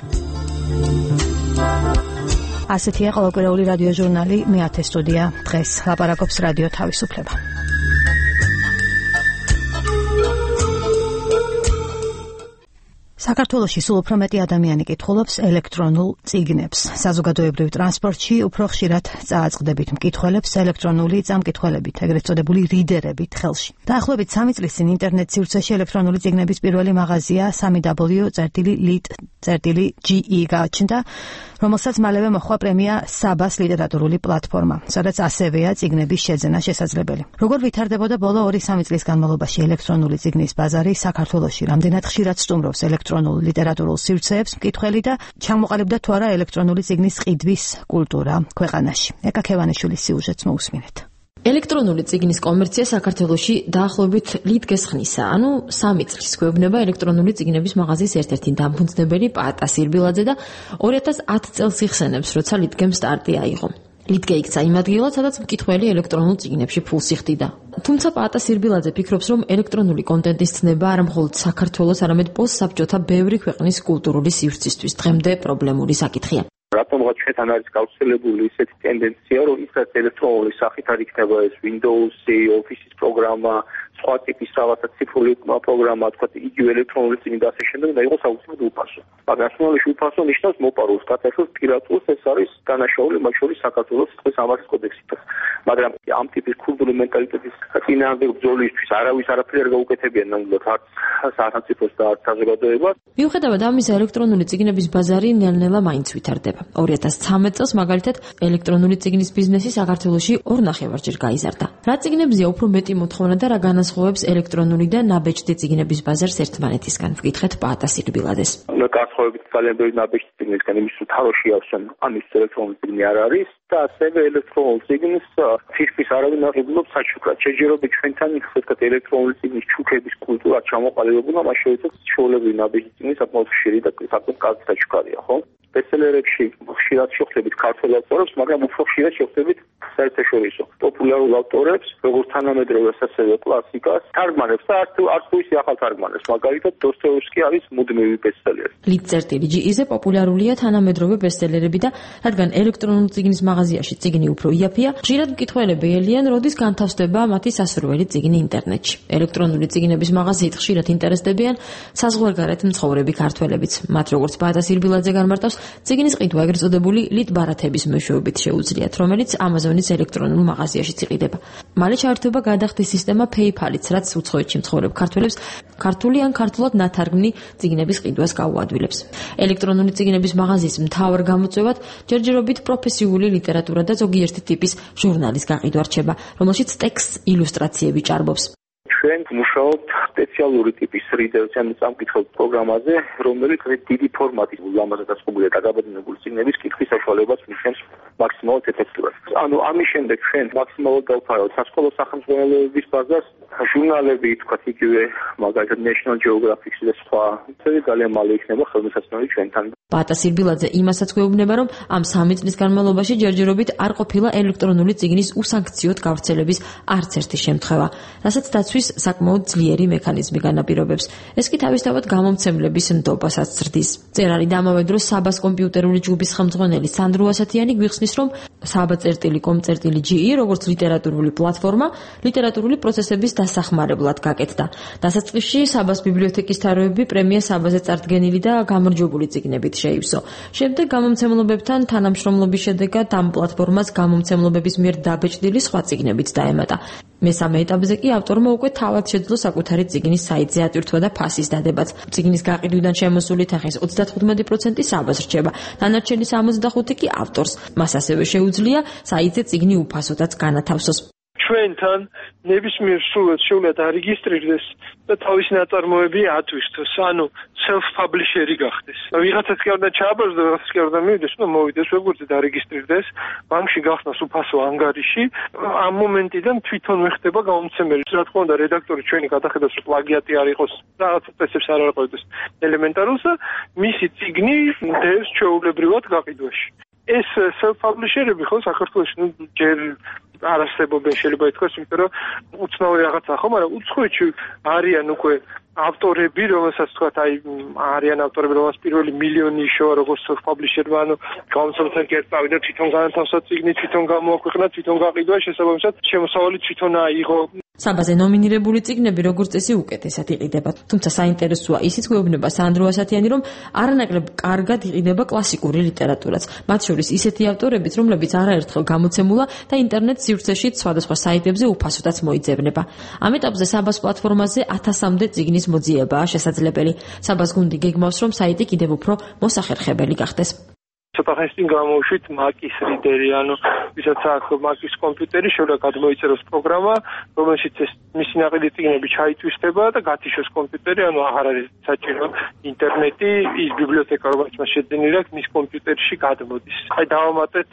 ასეთია ყოველკვირეული რადიო ჟურნალი მეათე სტუდია. დღეს ლაპარაკობს რადიო თავისუფლება. საქართველოში სულ უფრო მეტი ადამიანი კითხულობს ელექტრონულ წიგნებს. საზოგადოებრივ ტრანსპორტში უფრო ხშირად წააწყდებით მკითხველებს ელექტრონული წამკითხველებით, ეგრეთ წოდებული რიდერებით ხელში. დაახლოებით 3 წლის წინ ინტერნეტ სივრცეში ელექტრონული წიგნების პირველი მაღაზია www.lit წერტილი GE გააჩნდა, რომელსაც მალევე მოჰყვა პრემია საბას ლიტერატურული პლატფორმა, სადაც ასევეა წიგნების შეძენა შესაძლებელი. Როგორ ვითარდებოდა ბოლო 2-3 წლის განმავლობაში ელექტრონული წიგნის ბაზარი საქართველოში, რამდენად ხშირად სტუმრობს ელექტრონულ ლიტერატურულ სივრცეებს მკითხველი და ჩამოყალიბდა თუ არა ელექტრონული წიგნის ყიდვის კულტურა ქვეყანაში. ეკა ქევანიშვილის სიუჟეტს მოусმინეთ. ელექტრონული წიგნის კომერცია საქართველოში დაახლოებით ლითგეს ხნისა, ანუ 3 წლის გვეუბნება ელექტრონული წიგნების მაღაზიის ერთ-ერთი დამფუძნებელი პაატა სირბილაძე და 2010 წელს იხსენებს, როცა ლითგემ სტარტი აიღო. ლითგე იქცა იმ ადგილად, სადაც მკითხველი ელექტრონულ წიგნებში ფულს იხდიდა. თუმცა პაატა სირბილაძე ფიქრობს, რომ ელექტრონული კონტენტის ცნება არა მხოლოდ საქართველოს, არამედ პოსტსაბჭოთა ბევრი ქვეყნის კულტურული სივრცისთვის დღემდე პრობლემური საკითხია. რატომღაც ჩვენთან არის გავრცელებული ისეთი ტენდენცია, რომ ისაც ელექტრონული სახით არ იქნება ეს Windows-ი, Office-ის პროგრამა, სხვა ტიპის რაღაცა ციფრული პროგრამა, თქვა იგივე ელექტრონული წიგნი და ასე შემდეგ და იყოს აუცილებლად უფასო. მაგრამ ნაციონალური უფასო ნიშნავს მოპარულს, კატეგორიას პირატულს, ეს არის დანაშაული მათ შორის საქართველოს სიტყვის სამართლის კოდექსით. მაგრამ ამ ტიპის კულტურული მენტალიტეტის წინააღმდეგ ბრძოლისთვის არავის არაფერი არ გაუკეთებია ნამდვილად არც სახელმწიფოს და არც საზოგადოებას. მიუხედავად ამისა, ელექტრონული წიგნების ბაზარი ნელ-ნელა მაინც ვითარდება. 2013 წელს მაგალითად ელექტრონული წიგნის ბიზნესი საქართველოში 2.5-ჯერ გაიზარდა. რა წიგნებზეა უფრო მეტი მოთხოვნა და რა განასხვავებს ელექტრონული და ნაბეჭდი წიგნების ბაზარს ერთმანეთისგან? ვკითხეთ პაატა სირბილაძეს. განსხვავებით ძალიან ბევრი ნაბეჭდი წიგნისგან, იმის რომ თაროში ავსენ, ამის ელექტრონული წიგნი არ არის და ასევე ელექტრონულ წიგნს ფირფის არავინ არ იღებობს საჩუქრად. შეჯერობით ჩვენთან ხსოვთ ელექტრონული წიგნის ჩუქების კულტურა ჩამოყალიბებულა, მას შეეცათ ჩვეულებრივი ნაბეჭდი წიგნის საკმაოდ ხშირი და საკმაოდ კარგი საჩუქარია, ხო? ბესტსელერებში ხშირად შეხვდებით ქართველ ავტორებს, მაგრამ უფრო ხშირად შეხვდებით საერთაშორისო პოპულარულ ავტორებს, როგორც თანამედროვე ასევე კლასიკას, თარგმანებს და არც თუ ისე ახალ თარგმანებს, მაგალითად დოსტოევსკი არის მუდმივი ბესტსელერი. ლიტწერტილი GE-ზე პოპულარულია თანამედროვე ბესტსელერები და რადგან ელექტრონული წიგნის მაღაზიაში წიგნი უფრო იაფია, ხშირად მკითხველები ელიან, როდის განთავსდება მათი სასურველი წიგნი ინტერნეტში. ელექტრონული წიგნების მაღაზიით ხშირად ინტერესდებიან საზღვარგარეთ მცხოვრები ქართველებიც. მათ როგორც პაატა სირბილაძე განმარტავს, წიგნის ყიდვა ეგრეთ წოდებული ლიტბარათების მეშვეობით შეუძლიათ, რომელიც Amazon-ის ელექტრონულ მაღაზიაში იყიდება. მალე ჩაერთვება გადახდის სისტემა PayPal-იც, რაც უცხოეთში მცხოვრებ ქართველებს ქართული ან ქართულად ნათარგმნი წიგნების ყიდვას გაუადვილებს. ელექტრონული წიგნების მაღაზიის მთავარ გამოწვევად ჯერჯერობით პროფესიული ლიტერატურა და ზოგიერთი ტიპის ჟურნალის გაყიდვა რჩება, რომელშიც ტექსტს ილუსტრაციები ჭარბობს. ჩვენ მუშაობთ სპეციალური ტიპის რიდერს, ანუ წამკითხავ პროგრამაზე, რომელიც დიდი ფორმატის ლამაზად დაწყობილი და დაბეჭდებული წიგნების კითხვის საშუალებას მისცემს მაქსიმალურად ეფექტურად. ანუ ამის შემდეგ ჩვენ მაქსიმალურად დავფარავთ სასკოლო სახელმძღვანელოების ბაზას, ჟურნალები, თქვათ იგივე მაგალითად National Geographic-ი და სხვა, ძალიან მალე იქნება ხელმისაწვდომი ჩვენთან. პაატა სირბილაძე იმასაც გვეუბნება, რომ ამ 3 წლის განმავლობაში ჯერჯერობით არ ყოფილა ელექტრონული წიგნის უსანქციოდ გავრცელების არც ერთი შემთხვევა, რასაც დაცვის საკმაოდ ძლიერი მექანიზმი განაპირობებს. ეს კი თავისთავად გამომცემლების ნდობასაც ზრდის. წერალი და ამავე დროს საბას კომპიუტერული ჯგუფის ხელმძღვანელი სანდრო ასათიანი გვიხსნის, რომ saba.com.ge როგორც ლიტერატურული პლატფორმა, ლიტერატურული პროცესების დასახმარებლად გაკეთდა. დასაწყისში საბას ბიბლიოთეკის თაროები პრემია საბაზე წარდგენილი და გამარჯვებული წიგნებით შეივსო. შემდეგ გამომცემლობებთან თანამშრომლობის შედეგად ამ პლატფორმას გამომცემლობების მიერ დაბეჭდილი სხვა წიგნებით დაემატა. მესამე ეტაპზე კი ავტორმა უკვე თავად შეძლო საკუთარი წიგნის საიტზე ატვირთვა და ფასის დადებაც. წიგნის გაყიდვიდან შემოსული თანხის 35% საბას რჩება, დანარჩენი 65% კი ავტორს. მას ასევე შეუძლია საიტზე წიგნი უფასოდაც განათავსოს. ჩვენთან ნებისმიერ სრულად შეუძლია დარეგისტრირდეს და თავისი ნაწარმოები ატვირთოს, ანუ self-publisher-ი გახდეს. ვიღაცაც კი არ უნდა ჩააბაროს და ვიღაცაც კი არ უნდა მივიდეს, უნდა მოვიდეს ვებგვერდზე დარეგისტრირდეს, ბანკში გახსნას უფასო ანგარიში. ამ მომენტიდან თვითონ ხდება გამომცემელი. რა თქმა უნდა, რედაქტორი ჩვენი გადახედავს, რომ პლაგიატი არ იყოს, რაღაც წესებს არ არყევდეს ელემენტარულს და მისი წიგნი დევს ჩვეულებრივად გაყიდვაში. ეს self-publisher-ები ხო საქართველოში ჯერ არ არსებობენ, შეიძლება ითქვას, იმიტომ რომ უცნაური რაღაცაა ხო, მაგრამ უცხოეთში არიან უკვე ავტორები, რომელსაც თქვათ, არიან ავტორები, რომელსაც პირველი მილიონი იშოვა როგორც self-publisher-მა, ანუ გამომცემლთან კი არ წავიდა, თვითონ განათავსა წიგნი, თვითონ გამოაქვეყნა, თვითონ გაყიდვა, შესაბამისად შემოსავალი თვითონ აიღო. საბაზე ნომინირებული წიგნები როგორც წესი უკეთესად იყიდება, თუმცა საინტერესოა ისიც გვეუბნება სანდრო ასათიანი, რომ არანაკლებ კარგად იყიდება კლასიკური ლიტერატურაც, მათ შორის ისეთი ავტორებიც, რომლებიც არაერთხელ გამოცემულა და ინტერნეტ სივრცეშიც სხვადასხვა საიტებზე უფასოდაც მოიძებნება. ამ ეტაპზე საბას პლატფორმაზე 1000-მდე წიგნის მოძიებაა შესაძლებელი. საბას გუნდი გეგმავს, რომ საიტი კიდევ უფრო მოსახერხებელი გახდეს. ცოტა ხნის წინ გამოვშვით Mac-ის რიდერი, ანუ ვისაც აქვს Mac-ის კომპიუტერი, შეიძლება გადმოიწეროს პროგრამა, რომელშიც ეს მისი ნაყიდი წიგნები ჩაითვისდება და გათიშოს კომპიუტერი, ანუ აღარ არის საჭირო ინტერნეტი, ის ბიბლიოთეკა, რომელიც მას შეძენილი აქვს, მის კომპიუტერში გადმოდის. აი დავამატეთ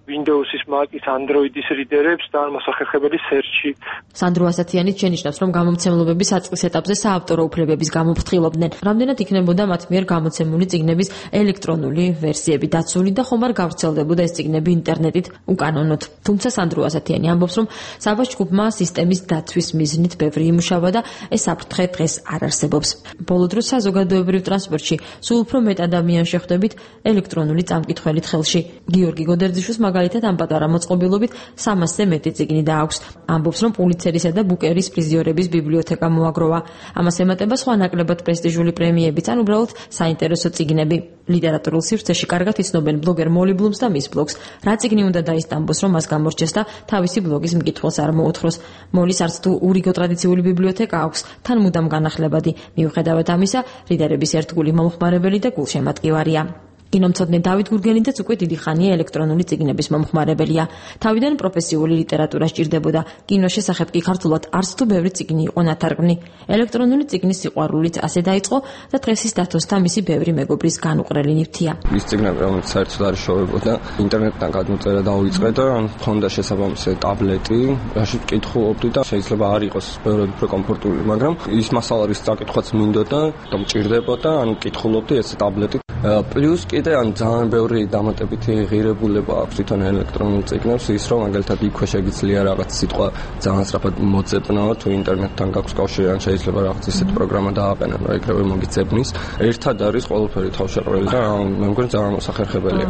Windows-ის, Mac-ის, Android-ის რიდერებს და მოსახერხებელი search-ი. სანდრო ასათიანი შენიშნავს, რომ გამომცემლობების საწყის ეტაპზე საავტორო უფლებების გამოფრთხილობდნენ. რამდენად იქნებოდა მათ მიერ გამოცემული წიგნების ელექტრონული ვერსიები დაცული და ხომ არ გავრცელდებოდა ეს წიგნები ინტერნეტით უკანონოდ. თუმცა სანდრო ასათიანი ამბობს, რომ საბას ჯგუფმა სისტემის დაცვის მიზნით ბევრი იმუშავა და ეს საფრთხე დღეს არ არსებობს. ბოლო დროს საზოგადოებრივ ტრანსპორტში სულ უფრო მეტ ადამიანს შეხვდებით ელექტრონული წამკითხველით ხელში. გიორგი გოდერძიშვილს მაგალითად ამ პატარა მოწყობილობით 300-ზე მეტი წიგნი დააქვს. ამბობს, რომ პულიცერისა და ბუკერის პრიზიორების ბიბლიოთეკა მოაგროვა. ამას ემატება სხვა ნაკლებად პრესტიჟული პრემიებიც, ან უბრალოდ საინტერესო წიგნები. ლიტერატურულ სივრცეში კარგად იცნობენ ბლოგერ მოლი ბლუმს და მის ბლოგს. რა წიგნი უნდა დაისტამბოს, რომ მას გამორჩეს და თავისი ბლოგის მკითხველს არ მოუთხროს. მოლის არც თუ ურიგო ტრადიციული ბიბლიოთეკა აქვს, თან მუდამ განახლებადი. მიუხედავად ამისა, რიდერების ერთგული მომხმარებელი და გულშემატკივარია. კინომცოდნე დავით გურგენიძეც უკვე დიდი ხანია ელექტრონული წიგნების მომხმარებელია. თავიდან პროფესიული ლიტერატურა სჭირდებოდა. კინოს შესახებ კი ქართულად არც თუ ბევრი წიგნი იყო ნათარგმნი. ელექტრონული წიგნის სიყვარულიც ასე დაიწყო და დღეს ის დათოს და მისი ბევრი მეგობრის განუყრელი ნივთია. ის წიგნები, რომელიც საერთოდ არ შოვებოდა, ინტერნეტიდან გადმოწერა დავიწყე და მქონდა შესაბამისი ტაბლეტი, რაშიც კითხულობდი და შეიძლება არ იყოს ბევრად უფრო კომფორტული, მაგრამ ის მასალარის წაკითხვაც მინდოდა და მჭირდებოდა, ანუ კითხულობდი ეს ტაბლეტი. პლუს კიდე ან ძალიან ბევრი დამატებითი ღირებულება აქვს თვითონ ელექტრონულ წიგნებს, ის რომ მაგალითად იქვე შეგიძლია რაღაც სიტყვა ძალიან სწრაფად მოძებნაო, თუ ინტერნეტთან გაქვს კავშირი, ან შეიძლება რაღაც ისეთ პროგრამა დააყენო, რომ ეგრევე მოგიძებნის. ერთად არის ყველაფერი თავშეყრილი და მე მგონი ძალიან მოსახერხებელია.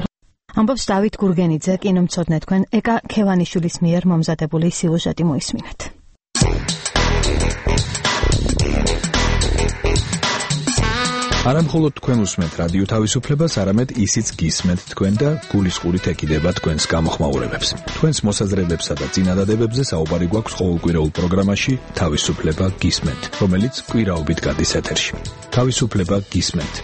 ამბობს დავით გურგენიძე, კინომცოდნე თქვენ ეკა ქევანიშვილის მიერ მომზადებული სიუჟეტი მოისმინეთ. არამხოლოდ თქვენ უსმენთ რადიო თავისუფლებას, არამედ ისიც გისმენთ თქვენ და გულისყურით ეკიდება თქვენს გამოხმაურებებს. თქვენს მოსაზრებებსა და წინადადებებზე საუბარი გვაქვს ყოველკვირეულ პროგრამაში თავისუფლება გისმენთ, რომელიც კვირაობით გადის ეთერში. თავისუფლება გისმენთ.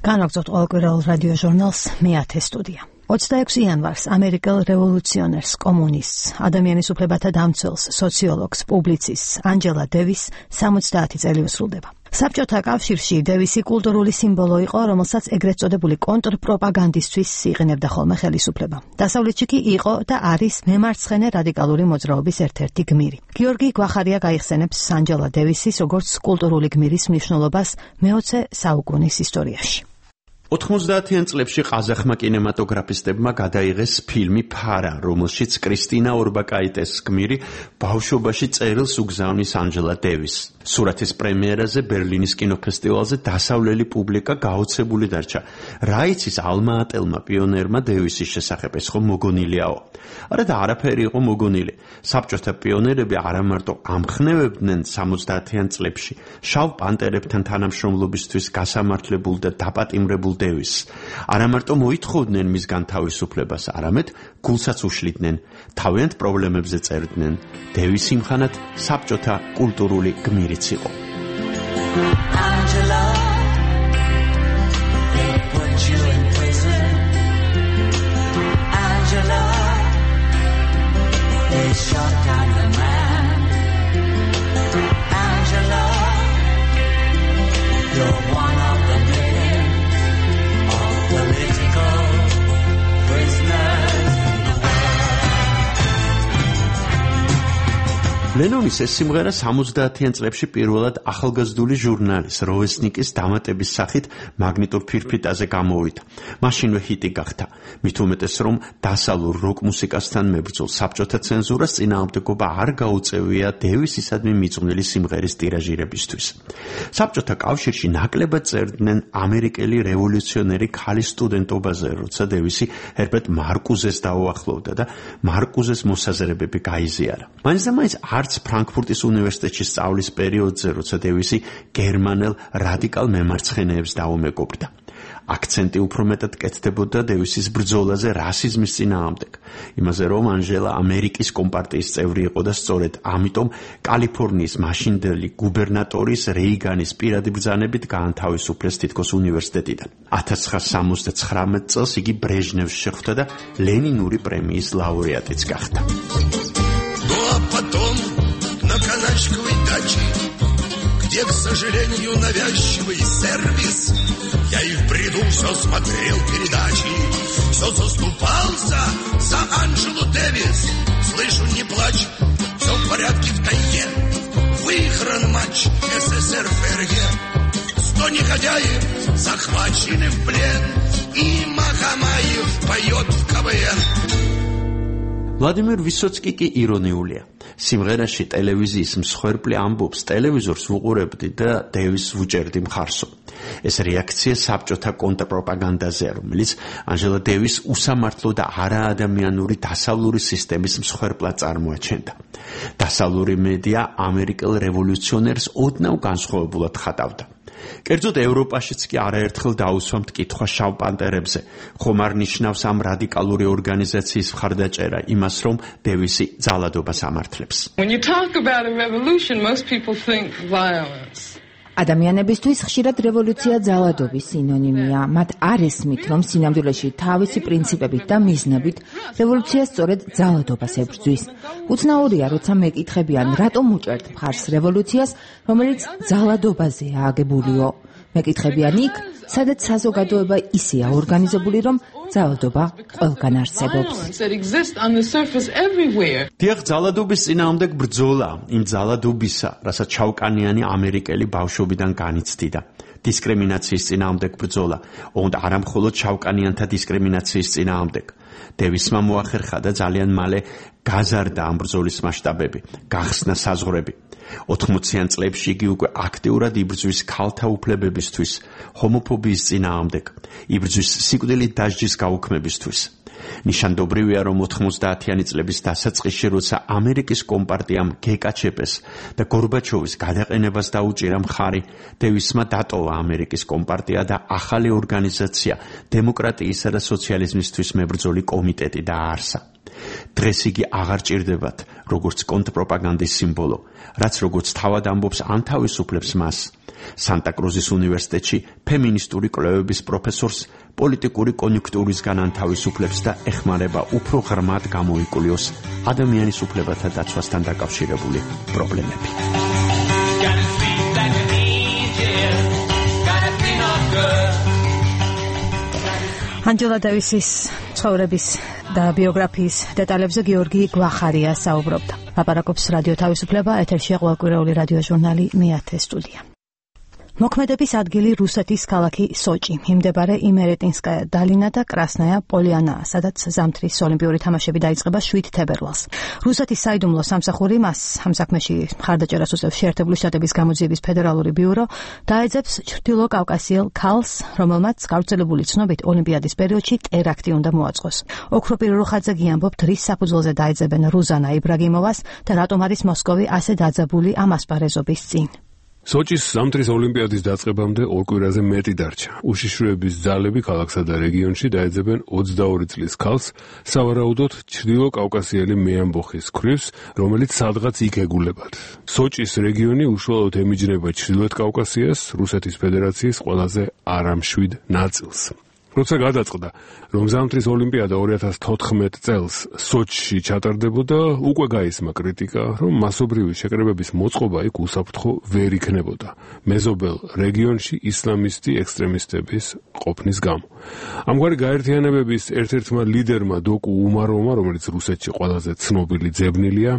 განაგზავთ ყოველკვირეულ რადიო ჟურნალს მე-10 სტუდია. 26 იანვარს ამერიკელ რევოლუციონერს, კომუნისტს, ადამიანის უფლებათა დამცველს, სოციოლოგს, პუბლიცისტს ანჯელა დევის 70 წელი უსრულდება. საბჭოთა კავშირში დევისი კულტურული სიმბოლო იყო, რომელსაც ეგრეთ წოდებული კონტრპროპაგანდისთვის იყენებდა ხოლმე ხელისუფლება. დასავლეთში კი იყო და არის მემარცხენე რადიკალური მოძრაობის ერთ-ერთი გმირი. გიორგი გვახარია გაიხსენებს ანჯელა დევისის როგორც კულტურული გმირის მნიშვნელობას მე-20 საუკუნის ისტორიაში. 90-იან წლებში ყაზახმა კინემატოგრაფისტებმა გადაიღეს ფილმი ფარა, რომელშიც კრისტინა ორბაკაიტეს გმირი ბავშვობაში წერილს უგზავნის ანჯელა დევის. სურათის პრემიერაზე ბერლინის კინოფესტივალზე დასავლელი პუბლიკა გაოცებული დარჩა. რა იცის ალმა ატელმა პიონერმა დევისის შესახებ, ეს ხო მოგონილიაო. არა და არაფერი იყო მოგონილი. საბჭოთა პიონერები არა მარტო ამხნევებდნენ 70-იან წლებში შავ პანტერებთან თანამშრომლობისთვის გასამართლებულ და დაპატიმრებულ დევის. არა მარტო მოითხოვდნენ მისგან თავისუფლებას, არამედ გულსაც უშლიდნენ, თავიანთ პრობლემებზე წერდნენ. დევის იმხანად საბჭოთა კულტურული გმირიც იყო. ლენონის ეს სიმღერა 70-იან წლებში პირველად ახალგაზრდული ჟურნალის როვესნიკის დამატების სახით მაგნიტურ ფირფიტაზე გამოვიდა. მაშინვე ჰიტი გახდა. მით უმეტეს რომ დასავლურ როკ მუსიკასთან მებრძოლ საბჭოთა ცენზურას წინააღმდეგობა არ გაუწევია დევისისადმი მიძღვნილი სიმღერის ტირაჟირებისთვის. საბჭოთა კავშირში ნაკლებად წერდნენ ამერიკელი რევოლუციონერი ქალის სტუდენტობაზე, როცა დევისი ჰერბერტ მარკუზეს დაუახლოვდა და მარკუზეს მოსაზრებები გაიზიარა. მაინც არც ფრანკფურტის უნივერსიტეტში სწავლის პერიოდზე, როცა დევისი გერმანელ რადიკალ მემარცხენეებს დაუმეგობრდა. აქცენტი უფრო მეტად კეთდებოდა დევისის ბრძოლაზე რასიზმის წინააღმდეგ, იმაზე რომ ანჟელა ამერიკის კომპარტიის წევრი იყო და სწორედ ამიტომ კალიფორნიის მაშინდელი გუბერნატორის რეიგანის პირადი ბრძანებით გაანთავისუფლეს თითქოს უნივერსიტეტიდან. 1979 წელს იგი ბრეჟნევს შეხვდა და ლენინური პრემიის ლაურეატიც გახდა. На каначковой даче, где, к сожалению, навязчивый сервис, я и в бреду все смотрел передачи, все заступался за Анджелу Дэвис. Слышу, не плачь, все в порядке в тайге, выигран матч СССР ФРГ. 100 негодяев захвачены в плен, и Махамаев поет в КВН. ვლადიმერ ვისოცკი კი ირონიულია. სიმღერაში ტელევიზიის მსხვერპლი ამბობს, ტელევიზორს ვუყურებდი და დევის ვუჭერდი მხარსო. ეს რეაქცია საბჭოთა კონტრპროპაგანდაზე, რომელიც ანჟელა დევის უსამართლო და არაადამიანური დასავლური სისტემის მსხვერპლად წარმოაჩენდა. დასავლური მედია ამერიკელ რევოლუციონერს ოდნავ განსხვავებულად ხატავდა. კერძოდ ევროპაშიც კი არაერთხელ დაუსვა მტკითხვა შავ პანტერებზე, ხომ არ ნიშნავს ამ რადიკალური ორგანიზაციის მხარდაჭერა იმას, რომ დევისი ძალადობას ამართლებს. When you talk about a revolution, most people think violence. ადამიანებისთვის ხშირად რევოლუცია ძალადობის სინონიმია. მათ არ ესმით, რომ სინამდვილეში თავისი პრინციპებით და მიზნებით რევოლუცია სწორედ ძალადობას ებრძვის. უცნაურია, როცა მეკითხებიან, რატომ უჭერთ მხარს რევოლუციას, რომელიც ძალადობაზეა აგებულიო. მეკითხებიან იქ, სადაც საზოგადოება ისეა ორგანიზებული, რომ ძალადობა ყველგან არსებობს. დიახ, ძალადობის წინააღმდეგ ბრძოლა იმ ძალადობისა, რასაც ჩავკანიანი ამერიკელი ბავშვობიდან განიცდიდა. დისკრიმინაციის წინააღმდეგ ბრძოლა, ოღონდ არა მხოლოდ ჩავკანიანთა დისკრიმინაციის წინააღმდეგ. დევისმა მოახერხა და ძალიან მალე გაზარდა ამ ბრძოლის მასშტაბები, გახსნა საზღვრები. 80-იან წლებში იგი უკვე აქტიურად იბრძვის ქალთა უფლებებისთვის, ჰომოფობიის წინააღმდეგ, იბრძვის სიკვდილით დასჯის გაუქმებისთვის. ნიშანდობრივია, რომ 90-იანი წლების დასაწყისში, როცა ამერიკის კომპარტიამ გეკაჩეპეს და გორბაჩოვის გადაყენებას დაუჭირა მხარი, დევისმა დატოვა ამერიკის კომპარტია და ახალი ორგანიზაცია დემოკრატიისა და სოციალიზმისთვის მებრძოლი კომიტეტი დააარსა. დღეს იგი აღარ ჭირდებათ, როგორც კონტრპროპაგანდის სიმბოლო, რაც როგორც თავად ამბობს ანთავისუფლებს მას. სანტა-კრუზის უნივერსიტეტში ფემინისტური კვლევების პროფესორს პოლიტიკური კონიუნქტურისგან ანთავისუფლებს და ეხმარება უფრო ღრმად გამოიკულიოს ადამიანის უფლებათა დაცვასთან დაკავშირებული პრობლემები. ანჯელა დევისის ცხოვრების და ბიოგრაფიის დეტალებზე გიორგი გვახარია საუბრობდა. ლაპარაკობს რადიო თავისუფლება, ეთერში ყოველკვირეული რადიო ჟურნალი მეათე სტუდია. მოქმედების ადგილი რუსეთის ქალაქი სოჭი, მიმდებარე იმერეტინსკაია დალინა და კრასნაია პოლიანა, სადაც ზამთრის ოლიმპიური თამაშები დაიწყება 7 თებერვალს. რუსეთის საიდუმლო სამსახური მას ამ საქმეში მხარდაჭერას უსწევს შეერთებული შტატების გამოძიების ფედერალური ბიურო, დაეძებს ჩრდილო კავკასიელ ქალს, რომელმაც გავრცელებული ცნობით ოლიმპიადის პერიოდში ტერაქტი უნდა მოაწყოს. ოქროპირ რუხაძე გიამბობთ, რის საფუძველზე დაეძებენ რუზანა იბრაგიმოვას და რატომ არის მოსკოვი ასე დაძაბული ამ ასპარეზობის წინ. სოჭის ზამთრის ოლიმპიადის დაწყებამდე 2 კვირაზე მეტი დარჩა. უშიშროების ძალები ქალაქსა და რეგიონში დაეძებენ 22 წლის ქალს, სავარაუდოდ ჩრდილო კავკასიელი მეამბოხის ქვრივს, რომელიც სადღაც იქ ეგულებათ. სოჭის რეგიონი უშუალოდ ემიჯნება ჩრდილოეთ კავკასიას, რუსეთის ფედერაციის ყველაზე არამშვიდ ნაწილს. როცა გადაწყდა, რომ ზამთრის ოლიმპიადა 2014 წელს სოჩში ჩატარდებოდა, უკვე გაისმა კრიტიკა, რომ მასობრივი შეკრებების მოწყობა იქ უსაფრთხო ვერ იქნებოდა, მეზობელ რეგიონში ისლამისტი ექსტრემისტების ყოფნის გამო. ამგვარი გაერთიანებების ერთ-ერთმა ლიდერმა დოკუ უმაროვმა, რომელიც რუსეთში ყველაზე ცნობილი ძებნილია,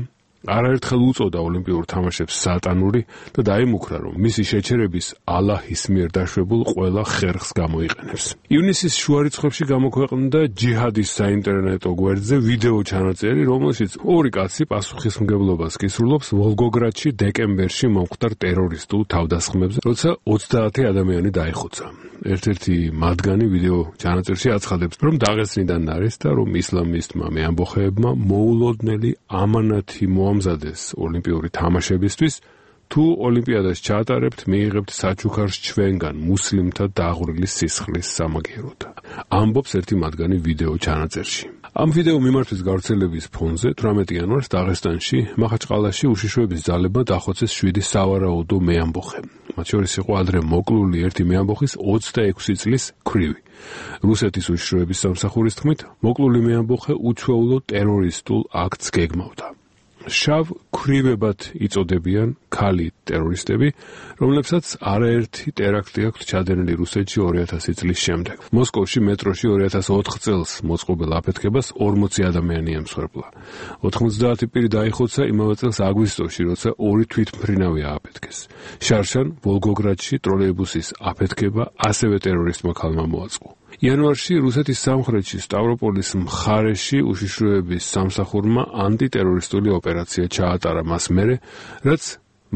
არაერთხელ უწოდა ოლიმპიურ თამაშებს სატანური და დაიმუქრა, რომ მისი შეჩერების ალაჰის მიერ დაშვებულ ყველა ხერხს გამოიყენებს. ივნისის შუა რიცხვებში გამოქვეყნდა ჯიჰადის საინტერნეტო გვერდზე ვიდეო ჩანაწერი, რომელშიც ორი კაცი პასუხისმგებლობას გისურვებს ვოლგოგრადში დეკემბერში მომხდარ ტერორისტულ თავდასხმებზე, როცა 30 ადამიანი დაიხოცა. ერთ-ერთი მათგანი ვიდეო ჩანაწერში აცხადებს, რომ დაღესტნიდან არის და რომ ისლამისტმა მეამბოხეებმა მოულოდნელი ამანათი მოამზადეს ოლიმპიური თამაშებისთვის, თუ ოლიმპიადას ჩაატარებთ, მიიღებთ საჩუქარს ჩვენგან მუსლიმთა დაღვრილის სისხლის სამაგიეროდ. ამბობს ერთი მათგანი ვიდეო ჩანაწერში. ამ ვიდეო მიმართვის გავრცელების ფონზე 18 იანვარს დაღესტანში მახაჩყალაში უშიშროების ძალებმა დახოცეს 7 სავარაუდო მეამბოხე. მათ შორის იყო ადრე მოკლული ერთი მეამბოხის 26 წლის ქვრივი. რუსეთის უშიშროების სამსახურის თქმით, მოკლული მეამბოხე უჩვეულო ტერორისტულ აქტს გეგმავდა. შავ ქვრივებად იწოდებიან ქალი ტერორისტები, რომლებსაც არაერთი ტერაქტი აქვთ ჩადენილი რუსეთში 2000 წლის შემდეგ. მოსკოვში მეტროში 2004 წელს მოწყობილ აფეთქებას 40 ადამიანი ემსხვერპლა. 90 პირი დაიხოცა იმავე წელს აგვისტოში, როცა 2 თვითმფრინავი ააფეთქეს. შარშან ვოლგოგრადში ტროლეიბუსის აფეთქება ასევე ტერორისტმა ქალმა მოაწყო. იანვარში რუსეთის სამხრეთში სტავროპოლის მხარეში უშიშროების სამსახურმა ანტიტერორისტული ოპერაცია ჩაატარა მას მერე, რაც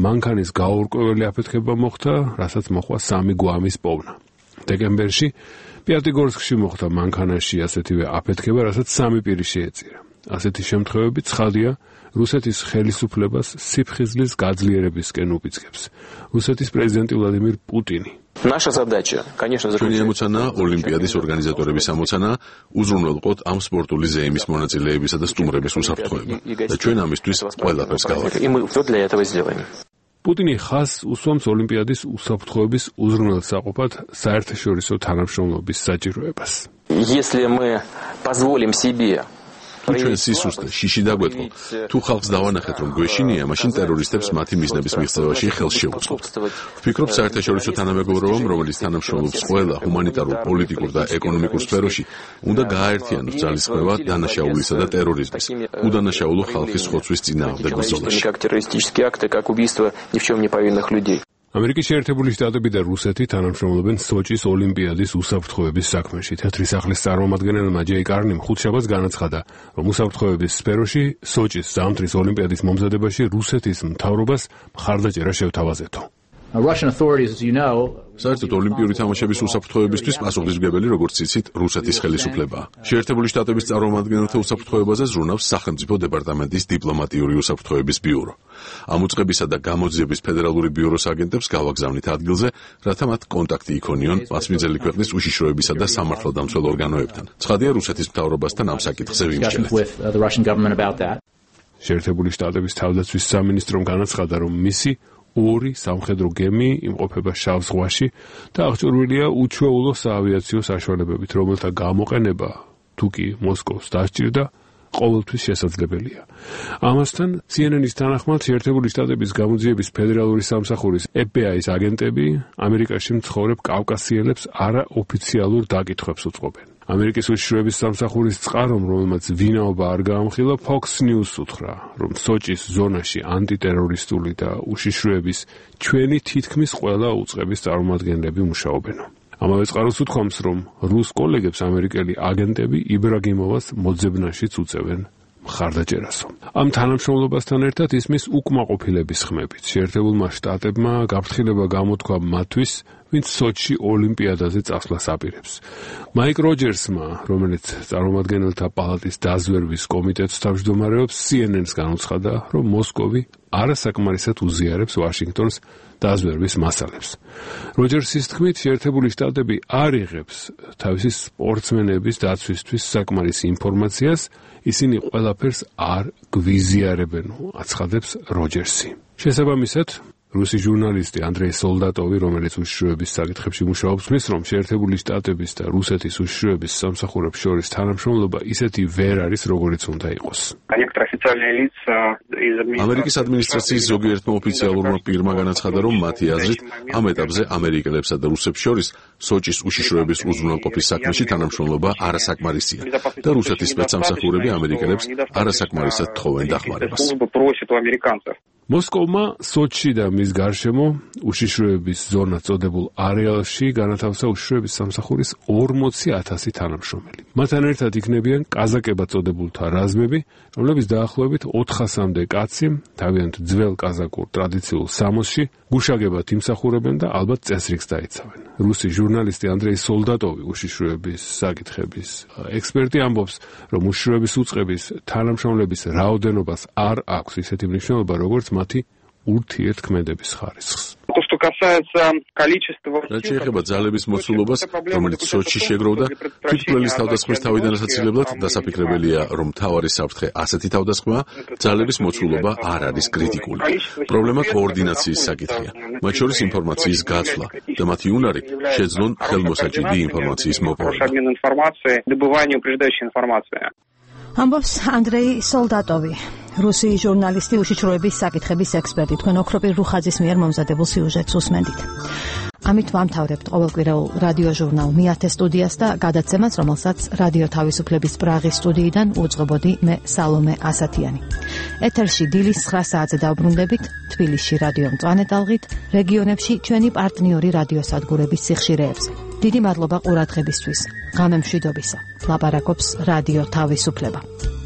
მანქანის გაურკვეველი აფეთქება მოხდა, რასაც მოხდა 3 გვამის პოვნა. დეკემბერში პიატიგორსკში მოხდა მანქანაში ასეთივე აფეთქება, რასაც 3 პირი შეეწირა. ასეთი შემთხვევები ცხადია რუსეთის ხელისუფლებას სიფხიზლის გაძლიერებისკენ упиცგებს. რუსეთის პრეზიდენტი ვლადიმირ პუტინი Наша задача, конечно, заключается ოლიმპიადის ორგანიზატორების ამოცანა უზრუნველყოთ ამ სპორტული ზეიმის მონაწილეებისა და სტუმრების უსაფრთხოება და ჩვენ ამისთვის ყველაფერს გავაკეთებთ. პუტინი ხაზს უსვამს ოლიმპიადის უსაფრთხოების უზრუნველსაყოფად საერთაშორისო თანამშრომლობის საჭიროებას. Если мы позволим себе ჩვენ სისუსტე შიში დაგვეტყო. თუ ხალხს დავანახეთ, რომ გვეშინია, მაშინ ტერორისტებს მათი მიზნების მიღწევაში ხელს შევუწყობთ. ვფიქრობ, საერთაშორისო თანამეგობრობამ, რომელიც თანამშრომლობს ყველა ჰუმანიტარულ, პოლიტიკურ და ეკონომიკურ სფეროში, უნდა გააერთიანოს ძალისხმევა დანაშაულისა და ტერორიზმის, უდანაშაულო ხალხის ხოცვის წინააღმდეგ ბრძოლაში. ამერიკის შეერთებული შტატები და რუსეთი თანამშრომლობენ სოჭის ოლიმპიადის უსაფრთხოების საქმეში. თეთრი სახლის წარმომადგენელმა ჯეი კარნიმ ხუთშაბათს განაცხადა, რომ უსაფრთხოების სფეროში სოჭის ზამთრის ოლიმპიადის მომზადებაში რუსეთის მთავრობას მხარდაჭერა შევთავაზეთო. საერთოდ ოლიმპიური თამაშების უსაფრთხოებისთვის პასუხისმგებელი, როგორც იცით, რუსეთის ხელისუფლებაა. შეერთებული შტატების წარმომადგენელთა უსაფრთხოებაზე ზრუნავს სახელმწიფო დეპარტამენტის დიპლომატიური უსაფრთხოების ბიურო. ამ უწყებისა და გამოძიების ფედერალური ბიუროს აგენტებს გავაგზავნით ადგილზე, რათა მათ კონტაქტი იქონიონ მასპინძელი ქვეყნის უშიშროებისა და სამართალდამცველ ორგანოებთან. ცხადია, რუსეთის მთავრობასთან ამ საკითხზე ვიმსჯელეთ. შეერთებული შტატების თავდაცვის სამინისტრომ განაცხადა, რომ მისი 2 სამხედრო გემი იმყოფება შავ ზღვაში და აღჭურვილია უჩვეულო საავიაციო საშუალებებით, რომელთა გამოყენება თუ კი მოსკოვს დასჭირდა, ყოველთვის შესაძლებელია. ამასთან CNN-ის თანახმად შეერთებული შტატების გამოძიების ფედერალური სამსახურის FBI-ის აგენტები ამერიკაში მცხოვრებ კავკასიელებს არაოფიციალურ დაკითხვებს უწყობენ. ამერიკის უშიშროების სამსახურის წყარომ, რომელმაც ვინაობა არ გაამხილა, Fox News უთხრა, რომ სოჭის ზონაში ანტიტერორისტული და უშიშროების ჩვენი თითქმის ყველა უწყების წარმომადგენლები მუშაობენ. ამავე წყაროს უთქვამს, რომ რუს კოლეგებს ამერიკელი აგენტები იბრაგიმოვას მოძებნაშიც უწევენ მხარდაჭერასო. ამ თანამშრომლობასთან ერთად ისმის უკმაყოფილების ხმებით. შეერთებულმა შტატებმა გაფრთხილება გამოთქვა მათთვის, ვინც სოჩში ოლიმპიადაზე წასვლას აპირებს. მაიკ როჯერსმა, რომელიც წარმომადგენელთა პალატის დაზვერვის კომიტეტს თავმჯდომარეობს, CNN-ს განუცხადა, რომ მოსკოვი არასაკმარისად უზიარებს ვაშინგტონს დაზვერვის მასალებს. როჯერსის თქმით, შეერთებული შტატები არ იღებს თავისი სპორტსმენების დაცვისთვის საკმარის ინფორმაციას, ისინი ყველაფერს არ გვიზიარებენ, აცხადებს როჯერსი. შესაბამისად, რუსი ჟურნალისტი ანდრეი სოლდატოვი, რომელიც უშიშროების საკითხებში მუშაობს, ხმის, რომ შეერთებული შტატების და რუსეთის უშიშროების სამსახურებს შორის თანამშრომლობა ისეთი ვერ არის, როგორიც უნდა იყოს. ამერიკის ადმინისტრაციის ზოგიერთმა ოფიციალურმა პირმა განაცხადა, რომ მათი აზრით ამ ეტაპზე ამერიკელებსა და რუსებს შორის სოჭის უშიშროების უზრუნველყოფის საქმეში თანამშრომლობა არასაკმარისია და რუსეთის სპეცსამსახურები ამერიკელებს არასაკმარისად თხოვენ დახმარებას. მოსკოვმა სოჩში და მის გარშემო უშიშროების ზონა წოდებულ არეალში განათავსა უშიშროების სამსახურის 40,000 თანამშრომელი. მათთან ერთად იქნებიან კაზაკებად წოდებულთა რაზმები, რომლებიც დაახლოებით 400-მდე კაცი თავიანთ ძველ კაზაკურ ტრადიციულ სამოსში გუშაგებად იმსახურებენ და ალბათ წესრიგს დაიცავენ. რუსი ჟურნალისტი ანდრეი სოლდატოვი უშიშროების საკითხების ექსპერტი ამბობს, რომ უშიშროების უწყების თანამშრომლების რაოდენობას არ აქვს ისეთი მნიშვნელობა, როგორც მათი ურთიერთქმედების ხარისხს. რაც შეეხება ძალების მოცულობას, რომელიც სოჩში შეგროვდა, თვითმკვლელის თავდასხმის თავიდან ასაცილებლად დასაფიქრებელია, რომ მთავარი საფრთხე ასეთი თავდასხმაა, ძალების მოცულობა არ არის კრიტიკული. პრობლემა კოორდინაციის საკითხია, მათ შორის ინფორმაციის გაცვლა და მათი უნარი შეძლონ ხელმოსაჭიდი ინფორმაციის მოპოვება. ამბობს ანდრეი სოლდატოვი, რუსი ჟურნალისტი, უშიშროების საკითხების ექსპერტი. თქვენ ოქროპირ რუხაძის მიერ მომზადებულ სიუჟეტს უსმენდით. ამით ვამთავრებთ ყოველკვირეულ რადიო ჟურნალ მიათე სტუდიას და გადაცემას, რომელსაც რადიო თავისუფლების პრაღის სტუდიიდან უძღვებოდი მე სალომე ასათიანი. ეთერში დილის 9 საათზე დავბრუნდებით თბილისში რადიო მწვანე ტალღით, რეგიონებში ჩვენი პარტნიორი რადიოსადგურების სიხშირეებზე. დიდი მადლობა ყურადღებისთვის. ღამე მშვიდობისა. ლაპარაკობს რადიო თავისუფლება.